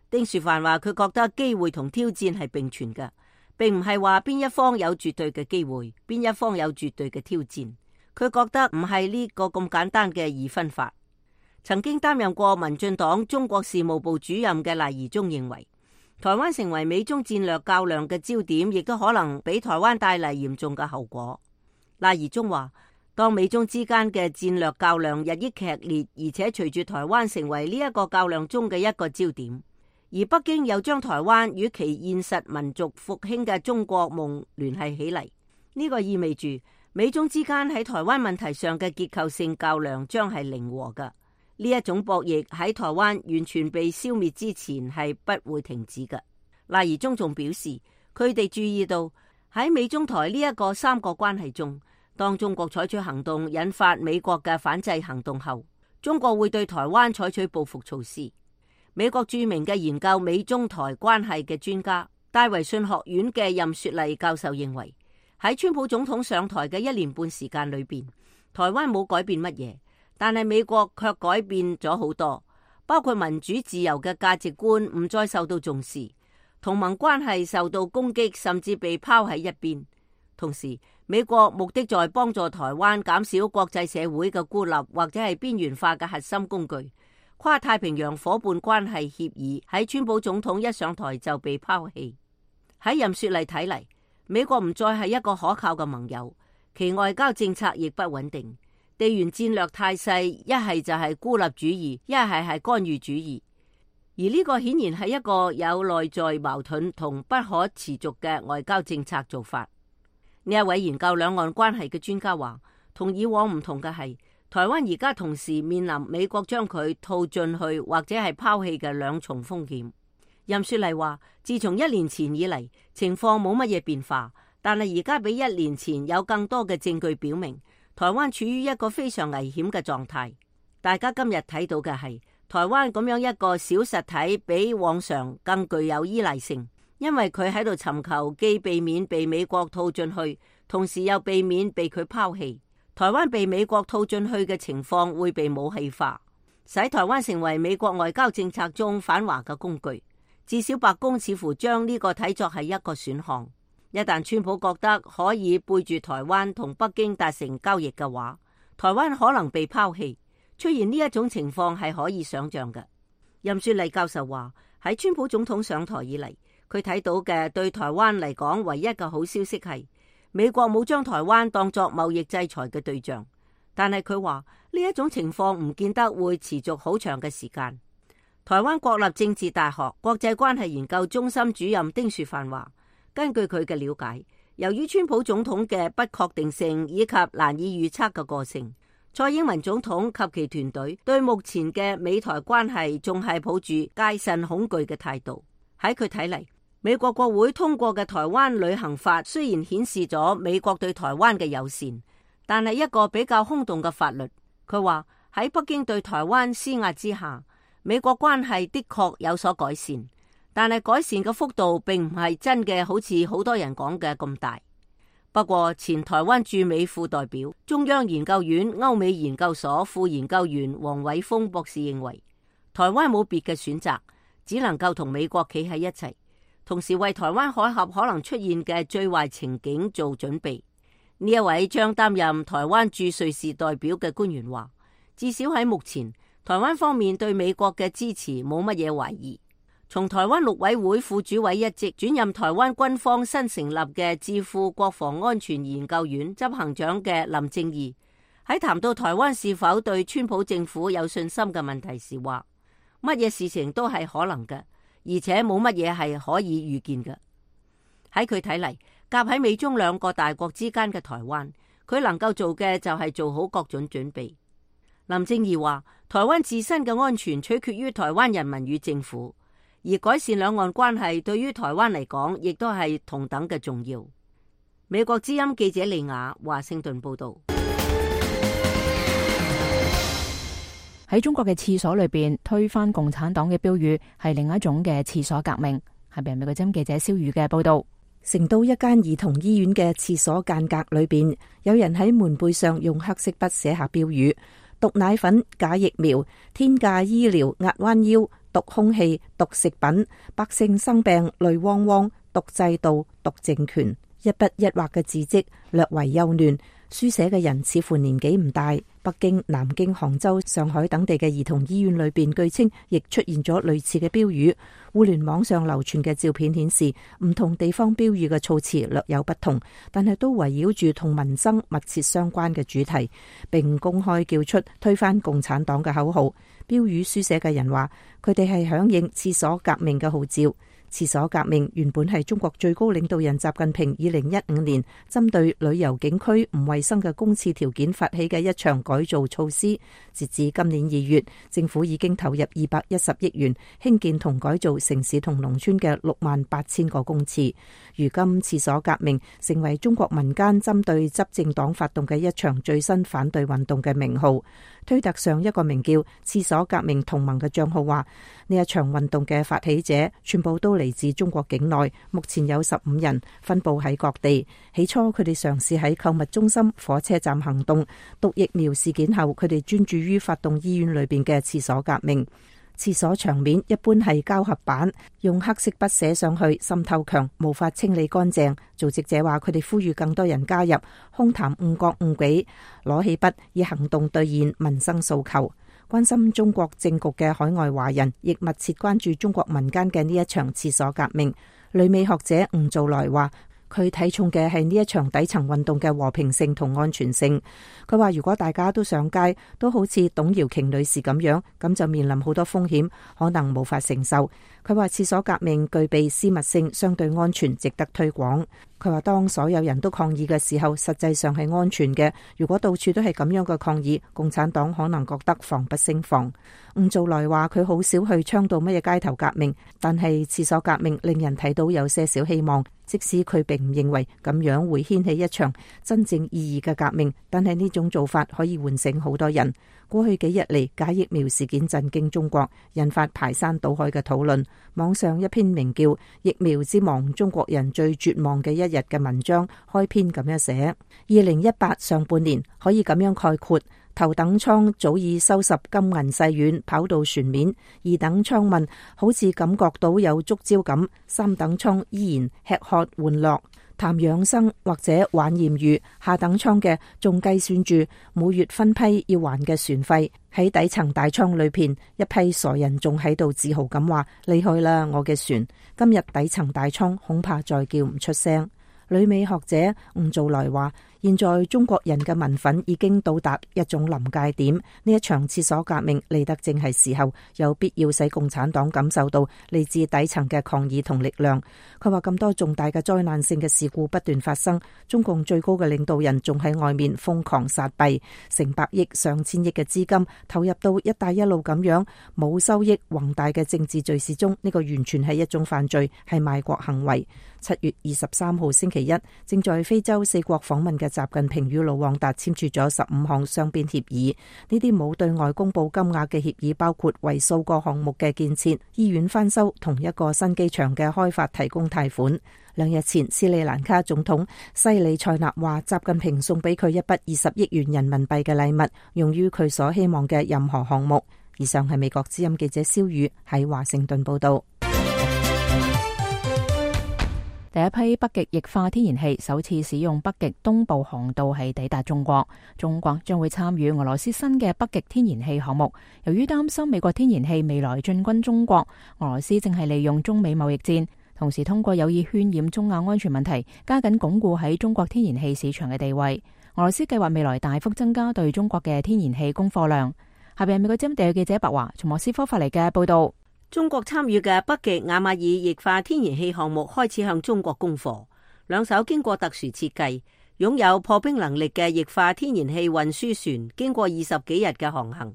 丁樹範話佢覺得機會同挑戰係並存嘅，並唔係話邊一方有絕對嘅機會，邊一方有絕對嘅挑戰。佢覺得唔係呢個咁簡單嘅二分法。曾經擔任過民進黨中國事務部主任嘅賴宜中認為，台灣成為美中戰略較量嘅焦點，亦都可能俾台灣帶嚟嚴重嘅後果。賴宜中話，當美中之間嘅戰略較量日益劇烈，而且隨住台灣成為呢一個較量中嘅一個焦點，而北京又將台灣與其現實民族復興嘅中國夢聯繫起嚟，呢個意味住美中之間喺台灣問題上嘅結構性較量將係零和嘅。呢一種博弈喺台灣完全被消滅之前係不會停止嘅。賴宜中仲表示，佢哋注意到喺美中台呢一個三角關係中，當中國採取行動引發美國嘅反制行動後，中國會對台灣採取報復措施。美國著名嘅研究美中台關係嘅專家戴維遜學院嘅任雪麗教授認為，喺川普總統上台嘅一年半時間裏邊，台灣冇改變乜嘢，但係美國卻改變咗好多，包括民主自由嘅價值觀唔再受到重視，同盟關係受到攻擊，甚至被拋喺一邊。同時，美國目的在幫助台灣減少國際社會嘅孤立或者係邊緣化嘅核心工具。跨太平洋夥伴關係協議喺川普總統一上台就被拋棄。喺任雪麗睇嚟，美國唔再係一個可靠嘅盟友，其外交政策亦不穩定，地緣戰略態勢一係就係孤立主義，一係係干預主義。而呢個顯然係一個有內在矛盾同不可持續嘅外交政策做法。呢一位研究兩岸關係嘅專家話，同以往唔同嘅係，台灣而家同時面臨美國將佢套進去或者係拋棄嘅兩重風險。任雪麗話，自從一年前以嚟，情況冇乜嘢變化，但係而家比一年前有更多嘅證據表明，台灣處於一個非常危險嘅狀態。大家今日睇到嘅係台灣咁樣一個小實體，比往常更具有依賴性，因為佢喺度尋求既避免被美國套進去，同時又避免被佢拋棄。台灣被美國套進去嘅情況會被武器化，使台灣成為美國外交政策中反華嘅工具。至少白宮似乎將呢個睇作係一個選項。一旦川普覺得可以背住台灣同北京達成交易嘅話，台灣可能被拋棄。出現呢一種情況係可以想象嘅。任雪麗教授話，喺川普總統上台以嚟，佢睇到嘅對台灣嚟講唯一嘅好消息係美國冇將台灣當作貿易制裁嘅對象。但係佢話呢一種情況唔見得會持續好長嘅時間。台灣國立政治大學國際關係研究中心主任丁樹範話，根據佢嘅了解，由於川普總統嘅不確定性以及難以預測嘅個性，蔡英文總統及其團隊對目前嘅美台關係仲係抱住戒慎恐懼嘅態度。喺佢睇嚟，美國國會通過嘅台灣旅行法雖然顯示咗美國對台灣嘅友善，但係一個比較空洞嘅法律。佢話喺北京對台灣施壓之下，美國關係的確有所改善，但係改善嘅幅度並唔係真嘅，好似好多人講嘅咁大。不過，前台灣駐美副代表、中央研究院歐美研究所副研究員黃偉峰博士認為，台灣冇別嘅選擇，只能夠同美國企喺一齊，同時為台灣海峽可能出現嘅最壞情景做準備。呢一位將擔任台灣駐瑞士代表嘅官員話，至少喺目前，台灣方面對美國嘅支持冇乜嘢懷疑。從台灣陸委會副主委一職轉任台灣軍方新成立嘅智庫國防安全研究院執行長嘅林正義喺談到台灣是否對川普政府有信心嘅問題時話，乜嘢事情都係可能嘅，而且冇乜嘢係可以預見嘅。喺佢睇嚟，夾喺美中兩個大國之間嘅台灣，佢能夠做嘅就係做好各種準備。林正義話，台灣自身嘅安全取決於台灣人民與政府，而改善兩岸關係對於台灣嚟講，亦都係同等嘅重要。美國之音記者利亞華盛頓報道。喺中國嘅廁所裏邊推翻共產黨嘅標語係另一種嘅廁所革命。係咪美國之音記者蕭宇嘅報道？成都一間兒童醫院嘅廁所間隔裏邊，有人喺門背上用黑色筆寫下標語：毒奶粉、假疫苗、天價醫療壓彎腰、毒空氣、毒食品，百姓生病淚汪汪，毒制度、毒政權。一筆一畫嘅字跡略為幼嫩，書寫嘅人似乎年紀唔大。北京、南京、杭州、上海等地嘅兒童醫院裏邊，據稱亦出現咗類似嘅標語。互聯網上流傳嘅照片顯示，唔同地方標語嘅措辭略有不同，但係都圍繞住同民生密切相關嘅主題，並公開叫出推翻共產黨嘅口號。標語書寫嘅人話，佢哋係響應廁所革命嘅號召。廁所革命原本係中國最高領導人習近平二零一五年針對旅遊景區唔衛生嘅公廁條件發起嘅一場改造措施。截至今年二月，政府已經投入二百一十億元興建同改造城市同農村嘅六萬八千個公廁。如今廁所革命成為中國民間針對執政黨發動嘅一場最新反對運動嘅名號。推特上一個名叫廁所革命同盟嘅賬號話，呢一場運動嘅發起者全部都嚟自中國境內，目前有十五人，分佈喺各地。起初佢哋嘗試喺購物中心、火車站行動，毒疫苗事件後，佢哋專注於發動醫院裏邊嘅廁所革命。廁所牆面一般係膠合板，用黑色筆寫上去，滲透強，無法清理乾淨。組織者話佢哋呼籲更多人加入，空談誤國誤己，攞起筆以行動兌現民生訴求。關心中國政局嘅海外華人亦密切關注中國民間嘅呢一場廁所革命。旅美學者吳造來話，佢睇重嘅係呢一場底層運動嘅和平性同安全性。佢話如果大家都上街，都好似董瑤瓊女士咁樣，咁就面臨好多風險，可能無法承受。佢話廁所革命具備私密性，相對安全，值得推廣。佢話當所有人都抗議嘅時候，實際上係安全嘅。如果到處都係咁樣嘅抗議，共產黨可能覺得防不勝防。吳造來話佢好少去倡導乜嘢街頭革命，但係廁所革命令人睇到有些少希望。即使佢並唔認為咁樣會掀起一場真正意義嘅革命，但係呢種做法可以喚醒好多人。過去幾日嚟，假疫苗事件震驚中國，引發排山倒海嘅討論。網上一篇名叫《疫苗之亡：中國人最絕望嘅一日》嘅文章開篇咁樣寫：二零一八上半年可以咁樣概括，頭等艙早已收拾金銀細軟，跑到船面；二等艙們好似感覺到有觸礁咁；三等艙依然吃喝玩樂，談養生或者玩艷遇；下等艙嘅仲計算住每月分批要還嘅船費。喺底層大艙裏邊，一批傻人仲喺度自豪咁話：厲害啦，我嘅船！今日底層大艙恐怕再叫唔出聲。旅美學者吳造來話：現在中國人嘅民憤已經到達一種臨界點，呢一場廁所革命嚟得正係時候，有必要使共產黨感受到嚟自底層嘅抗議同力量。佢話咁多重大嘅災難性嘅事故不斷發生，中共最高嘅領導人仲喺外面瘋狂撒幣，成百億上千億嘅資金投入到一帶一路咁樣冇收益宏大嘅政治敘事中，呢個完全係一種犯罪，係賣國行為。七月二十三號星期一，正在非洲四國訪問嘅習近平與盧旺達簽署咗十五項雙邊協議。呢啲冇對外公布金額嘅協議，包括為數個項目嘅建設、醫院翻修同一個新機場嘅開發提供貸款。兩日前，斯里蘭卡總統西里塞納話，習近平送俾佢一筆二十億元人民幣嘅禮物，用於佢所希望嘅任何項目。以上係美國之音記者蕭宇喺華盛頓報道。第一批北極液化天然氣首次使用北極東部航道係抵達中國，中國將會參與俄羅斯新嘅北極天然氣項目。由於擔心美國天然氣未來進軍中國，俄羅斯正係利用中美貿易戰，同時通過有意渲染中亞安全問題，加緊鞏固喺中國天然氣市場嘅地位。俄羅斯計劃未來大幅增加對中國嘅天然氣供貨量。下邊係美國之音地嘅記者白華從莫斯科發嚟嘅報道。中國參與嘅北極亞馬爾液化天然氣項目開始向中國供貨。兩艘經過特殊設計、擁有破冰能力嘅液化天然氣運輸船，經過二十幾日嘅航行，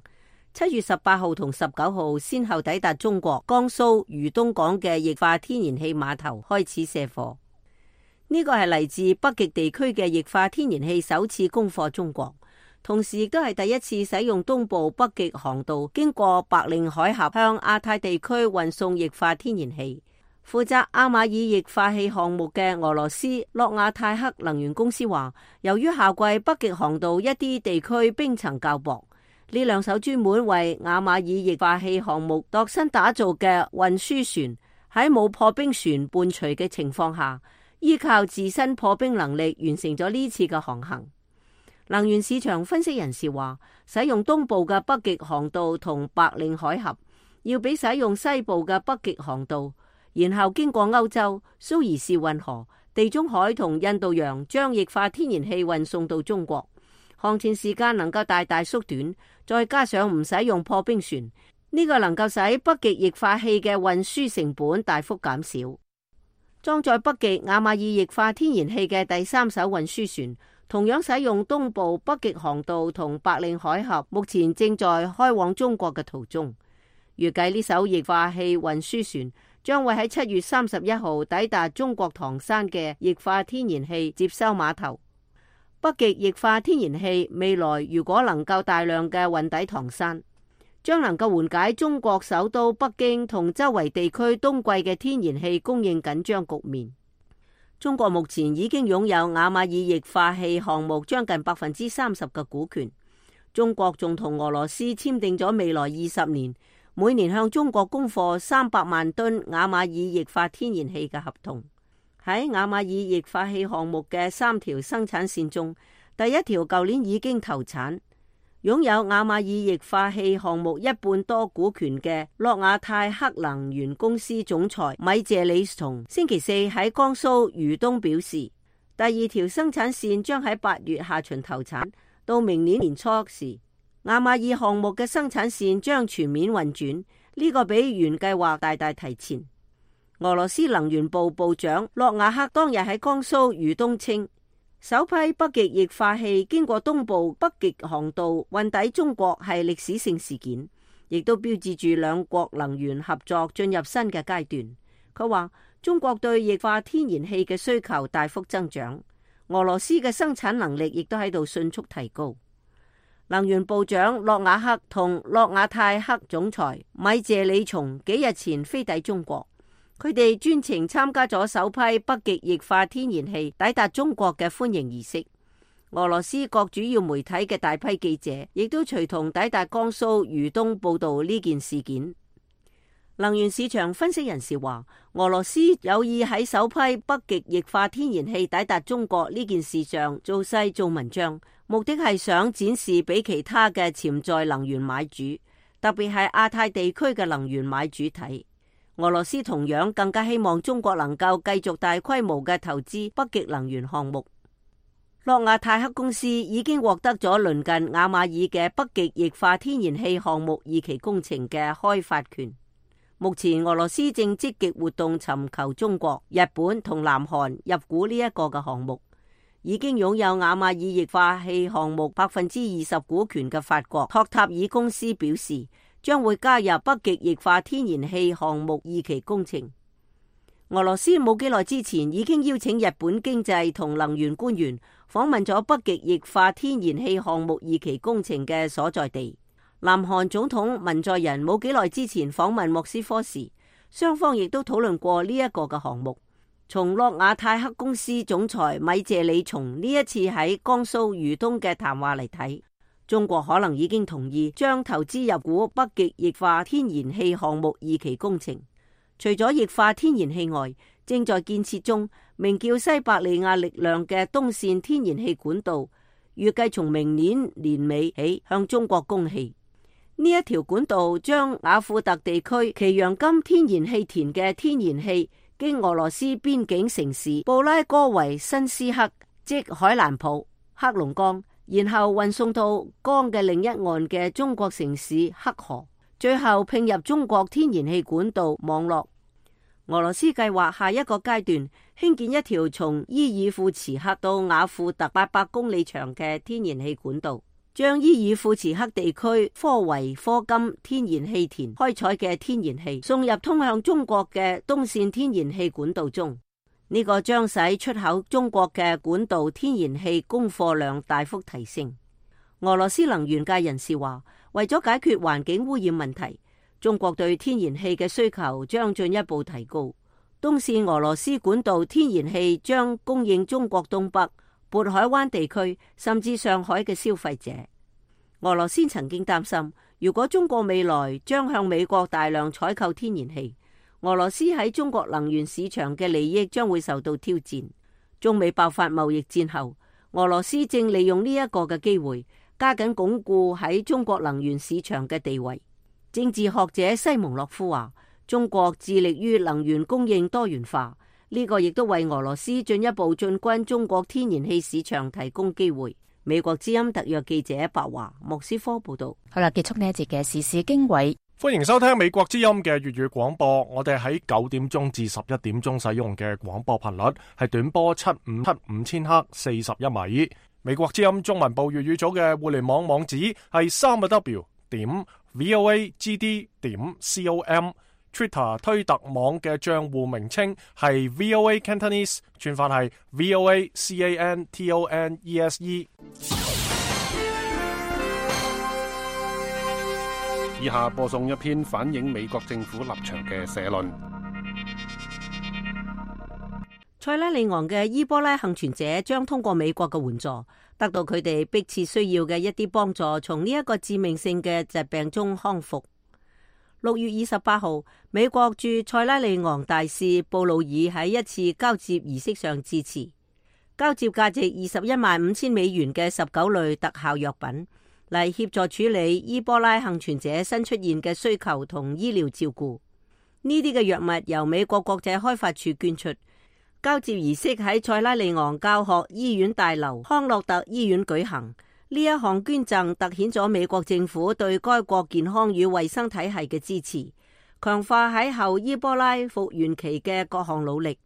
七月十八號同十九號先後抵達中國江蘇豫東港嘅液化天然氣碼頭，開始卸貨。呢個係嚟自北極地區嘅液化天然氣首次供貨中國。同時亦都係第一次使用東部北極航道經過白令海峽向亞太地區運送液化天然氣。負責亞馬爾液化氣項目嘅俄羅斯諾亞泰克能源公司話，由於夏季北極航道一啲地區冰層較薄，呢兩艘專門為亞馬爾液化氣項目度身打造嘅運輸船喺冇破冰船伴隨嘅情況下，依靠自身破冰能力完成咗呢次嘅航行。能源市場分析人士話，使用東部嘅北極航道同白令海峽，要比使用西部嘅北極航道，然後經過歐洲、蘇伊士運河、地中海同印度洋，將液化天然氣運送到中國，航程時間能夠大大縮短，再加上唔使用破冰船，呢、這個能夠使北極液化氣嘅運輸成本大幅減少。裝載北極亞馬爾液化天然氣嘅第三艘運輸船，同樣使用東部北極航道同白令海峽，目前正在開往中國嘅途中。預計呢艘液化氣運輸船將會喺七月三十一號抵達中國唐山嘅液化天然氣接收碼頭。北極液化天然氣未來如果能夠大量嘅運抵唐山，將能夠緩解中國首都北京同周圍地區冬季嘅天然氣供應緊張局面。中國目前已經擁有雅馬爾液化氣項目將近百分之三十嘅股權。中國仲同俄羅斯簽訂咗未來二十年，每年向中國供貨三百萬噸雅馬爾液化天然氣嘅合同。喺雅馬爾液化氣項目嘅三條生產線中，第一條舊年已經投產。擁有雅馬爾液化氣項目一半多股權嘅諾亞泰克能源公司總裁米謝里松星期四喺江蘇豫東表示，第二條生產線將喺八月下旬投產，到明年年初時，雅馬爾項目嘅生產線將全面運轉，呢個比原計劃大大提前。俄羅斯能源部部長諾瓦克當日喺江蘇豫東稱，首批北極液化氣經過東部北極航道運抵中國係歷史性事件，亦都標誌住兩國能源合作進入新嘅階段。佢話中國對液化天然氣嘅需求大幅增長，俄羅斯嘅生產能力亦都喺度迅速提高。能源部長諾瓦克同諾亞泰克總裁米謝里松幾日前飛抵中國，佢哋專程參加咗首批北極液化天然氣抵達中國嘅歡迎儀式。俄羅斯各主要媒體嘅大批記者亦都隨同抵達江蘇豫東報道呢件事件。能源市場分析人士話，俄羅斯有意喺首批北極液化天然氣抵達中國呢件事上做勢做文章，目的係想展示俾其他嘅潛在能源買主，特別係亞太地區嘅能源買主睇。俄羅斯同樣更加希望中國能夠繼續大規模嘅投資北極能源項目。諾亞泰克公司已經獲得咗鄰近雅馬爾嘅北極液化天然氣項目二期工程嘅開發權。目前俄羅斯正積極活動尋求中國、日本同南韓入股呢一個嘅項目。已經擁有雅馬爾液化氣項目百分之二十股權嘅法國托塔爾公司表示，將會加入北極液化天然氣項目二期工程。俄羅斯冇幾耐之前已經邀請日本經濟同能源官員訪問咗北極液化天然氣項目二期工程嘅所在地。南韓總統文在寅冇幾耐之前訪問莫斯科時，雙方亦都討論過呢一個嘅項目。從諾亞泰克公司總裁米謝里松呢一次喺江蘇豫東嘅談話嚟睇，中國可能已經同意將投資入股北極液化天然氣項目二期工程。除咗液化天然氣外，正在建設中名叫西伯利亞力量嘅東線天然氣管道，預計從明年年尾起向中國供氣。呢一條管道將雅庫特地區奇揚金天然氣田嘅天然氣經俄羅斯邊境城市布拉戈維申斯克，即海蘭普、黑龍江，然後運送到江嘅另一岸嘅中國城市黑河，最後併入中國天然氣管道網絡。俄羅斯計劃下一個階段興建一條從伊爾庫茨克到雅庫特八百公里長嘅天然氣管道，將伊爾庫茨克地區科維科金天然氣田開採嘅天然氣送入通向中國嘅東線天然氣管道中。呢、這個將使出口中國嘅管道天然氣供貨量大幅提升。俄羅斯能源界人士話，為咗解決環境污染問題，中國對天然氣嘅需求將進一步提高。東線俄羅斯管道天然氣將供應中國東北、渤海灣地區甚至上海嘅消費者。俄羅斯曾經擔心，如果中國未來將向美國大量採購天然氣，俄羅斯喺中國能源市場嘅利益將會受到挑戰。中美爆發貿易戰後，俄羅斯正利用呢一個嘅機會，加緊鞏固喺中國能源市場嘅地位。政治學者西蒙諾夫話，中國致力於能源供應多元化，呢、這個亦都為俄羅斯進一步進軍中國天然氣市場提供機會。美國之音特約記者白華莫斯科報道。好啦，結束呢一節嘅時事經緯。歡迎收聽美國之音嘅粵語廣播。我哋喺九點鐘至十一點鐘使用嘅廣播頻率係短波七五七五千赫四十一米。美國之音中文部粵語組嘅互聯網網址係三個 W 點 V O A G D 點 C O M。Twitter 推特網嘅賬戶名稱係 V O A Cantonese， 串法係 V O A C A N T O N E S E。 以下播送一篇反映美國政府立場嘅社論。塞拉利昂嘅伊波拉幸存者將通過美國嘅援助，得到佢哋迫切需要嘅一啲幫助，從呢一個致命性嘅疾病中康復。六月二十八號，美國駐塞拉利昂大使布魯爾喺一次交接儀式上致辭，交接價值二十一萬五千美元嘅十九類特效藥品，嚟協助處理伊波拉幸存者新出現嘅需求同醫療照顧。呢啲嘅藥物由美國國際開發處捐出。交接儀式喺塞拉利昂教學醫院大樓康樂特醫院舉行。呢一項捐贈凸顯咗美國政府對該國健康與衛生體系嘅支持，強化喺後伊波拉復原期嘅各項努力。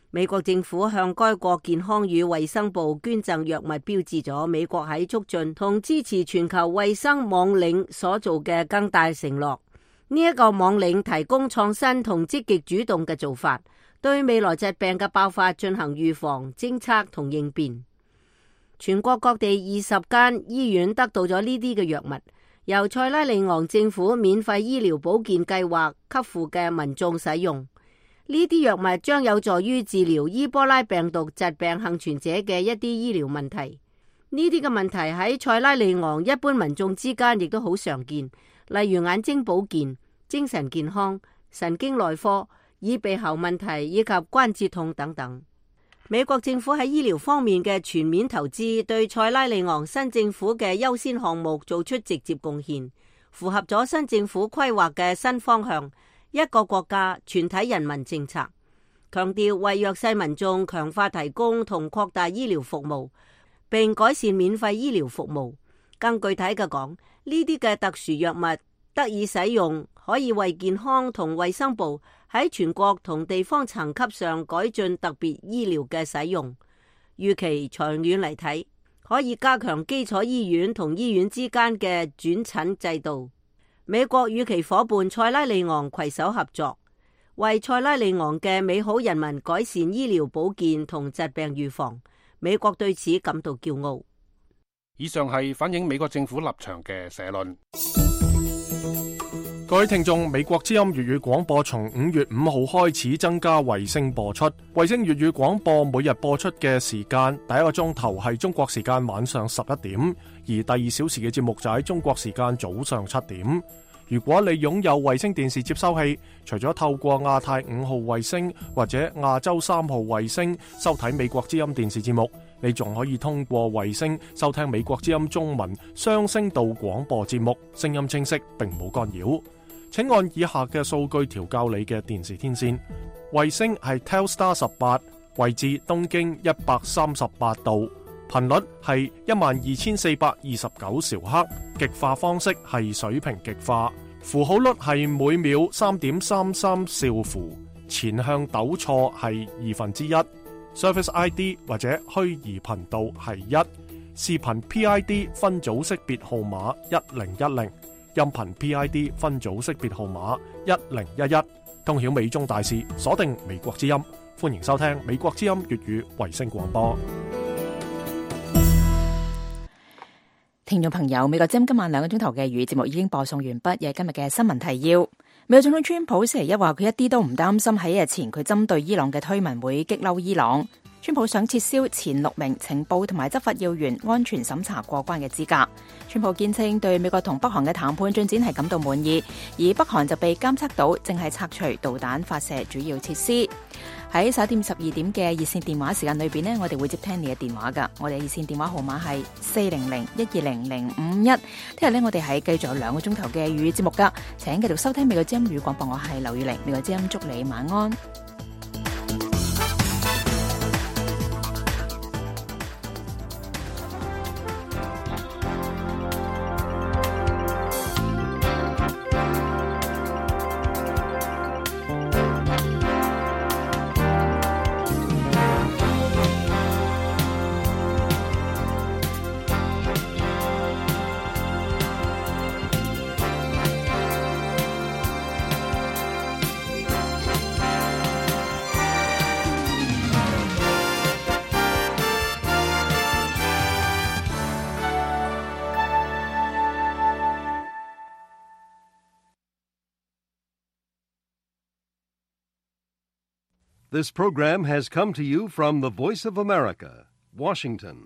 美國政府向該國健康與衛生部捐贈藥物，標誌咗美國喺促進同支持全球衛生網領所做嘅更大承諾。呢一個網領提供創新同積極主動嘅做法，對未來疾病嘅爆發進行預防、偵測同應變。全國各地二十間醫院得到咗呢啲嘅藥物，由塞拉利昂政府免費醫療保健計劃給付嘅民眾使用。呢啲藥物將有助於治療伊波拉病毒疾病幸存者嘅一啲醫療問題。呢啲嘅問題喺塞拉利昂一般民眾之間亦都好常見，例如眼睛保健、精神健康、神經內科、耳鼻喉問題以及關節痛等等。美國政府喺醫療方面嘅全面投資，對塞拉利昂新政府嘅優先項目做出直接貢獻，符合咗新政府規劃嘅新方向，一個國家全體人民政策，強調為弱勢民眾強化提供同擴大醫療服務，並改善免費醫療服務。更具體嘅講，呢啲嘅特殊藥物得以使用，可以為健康同衛生部喺全國同地方層級上改進特別醫療嘅使用。預期長遠嚟睇，可以加強基礎醫院同醫院之間嘅轉診制度。美國與其夥伴塞拉利昂攜手合作，為塞拉利昂嘅美好人民改善醫療保健同疾病預防。美國對此感到驕傲。以上係反映美國政府立場嘅社論。各位聽眾，美國之音粵語廣播從五月五號開始增加衛星播出。衛星粵語廣播每日播出嘅時間，第一個鐘頭係中國時間晚上十一點，而第二小時嘅節目就喺中國時間早上七點。如果你擁有衛星電視接收器，除咗透過亞太五號衛星或者亞洲三號衛星收睇美國之音電視節目，你仲可以通過衛星收聽美國之音中文雙聲道廣播節目，聲音清晰並冇干擾。請按以下嘅數據調校你嘅電視天線。衛星係 Telstar 十八，位置東經一百三十八度，頻率係一萬二千四百二十九兆赫，極化方式係水平極化，符號率係每秒三點三三兆符，前向抖錯係二分之一，Service I D 或者虛擬頻道係一，視頻 P I D 分組識別號碼一零一零。音頻 P I D 分組識別號碼一零一一，通曉美中大事，鎖定美國之音，歡迎收聽美國之音粵語衛星廣播。聽眾朋友，美國之音今晚兩個鐘頭嘅粵語節目已經播送完畢，有今日嘅新聞提要。美國總統川普星期一話佢一啲都唔擔心喺日前佢針對伊朗嘅推文會激嬲伊朗。川普想撤銷前六名情報同埋執法要員安全審查過關嘅資格。川普堅稱對美國同北韓嘅談判進展係感到滿意，而北韓就被監測到正係拆除導彈發射主要設施。喺十一點十二點嘅熱線電話時間裏邊呢，我哋會接聽你嘅電話噶。我哋熱線電話號碼係四零零一二零零五一。聽日呢，我哋係繼續有兩個鐘頭嘅粵語節目噶，請繼續收聽美國之音語廣播。我係劉宇玲，美國之音祝你晚安。This program has come to you from the Voice of America, Washington.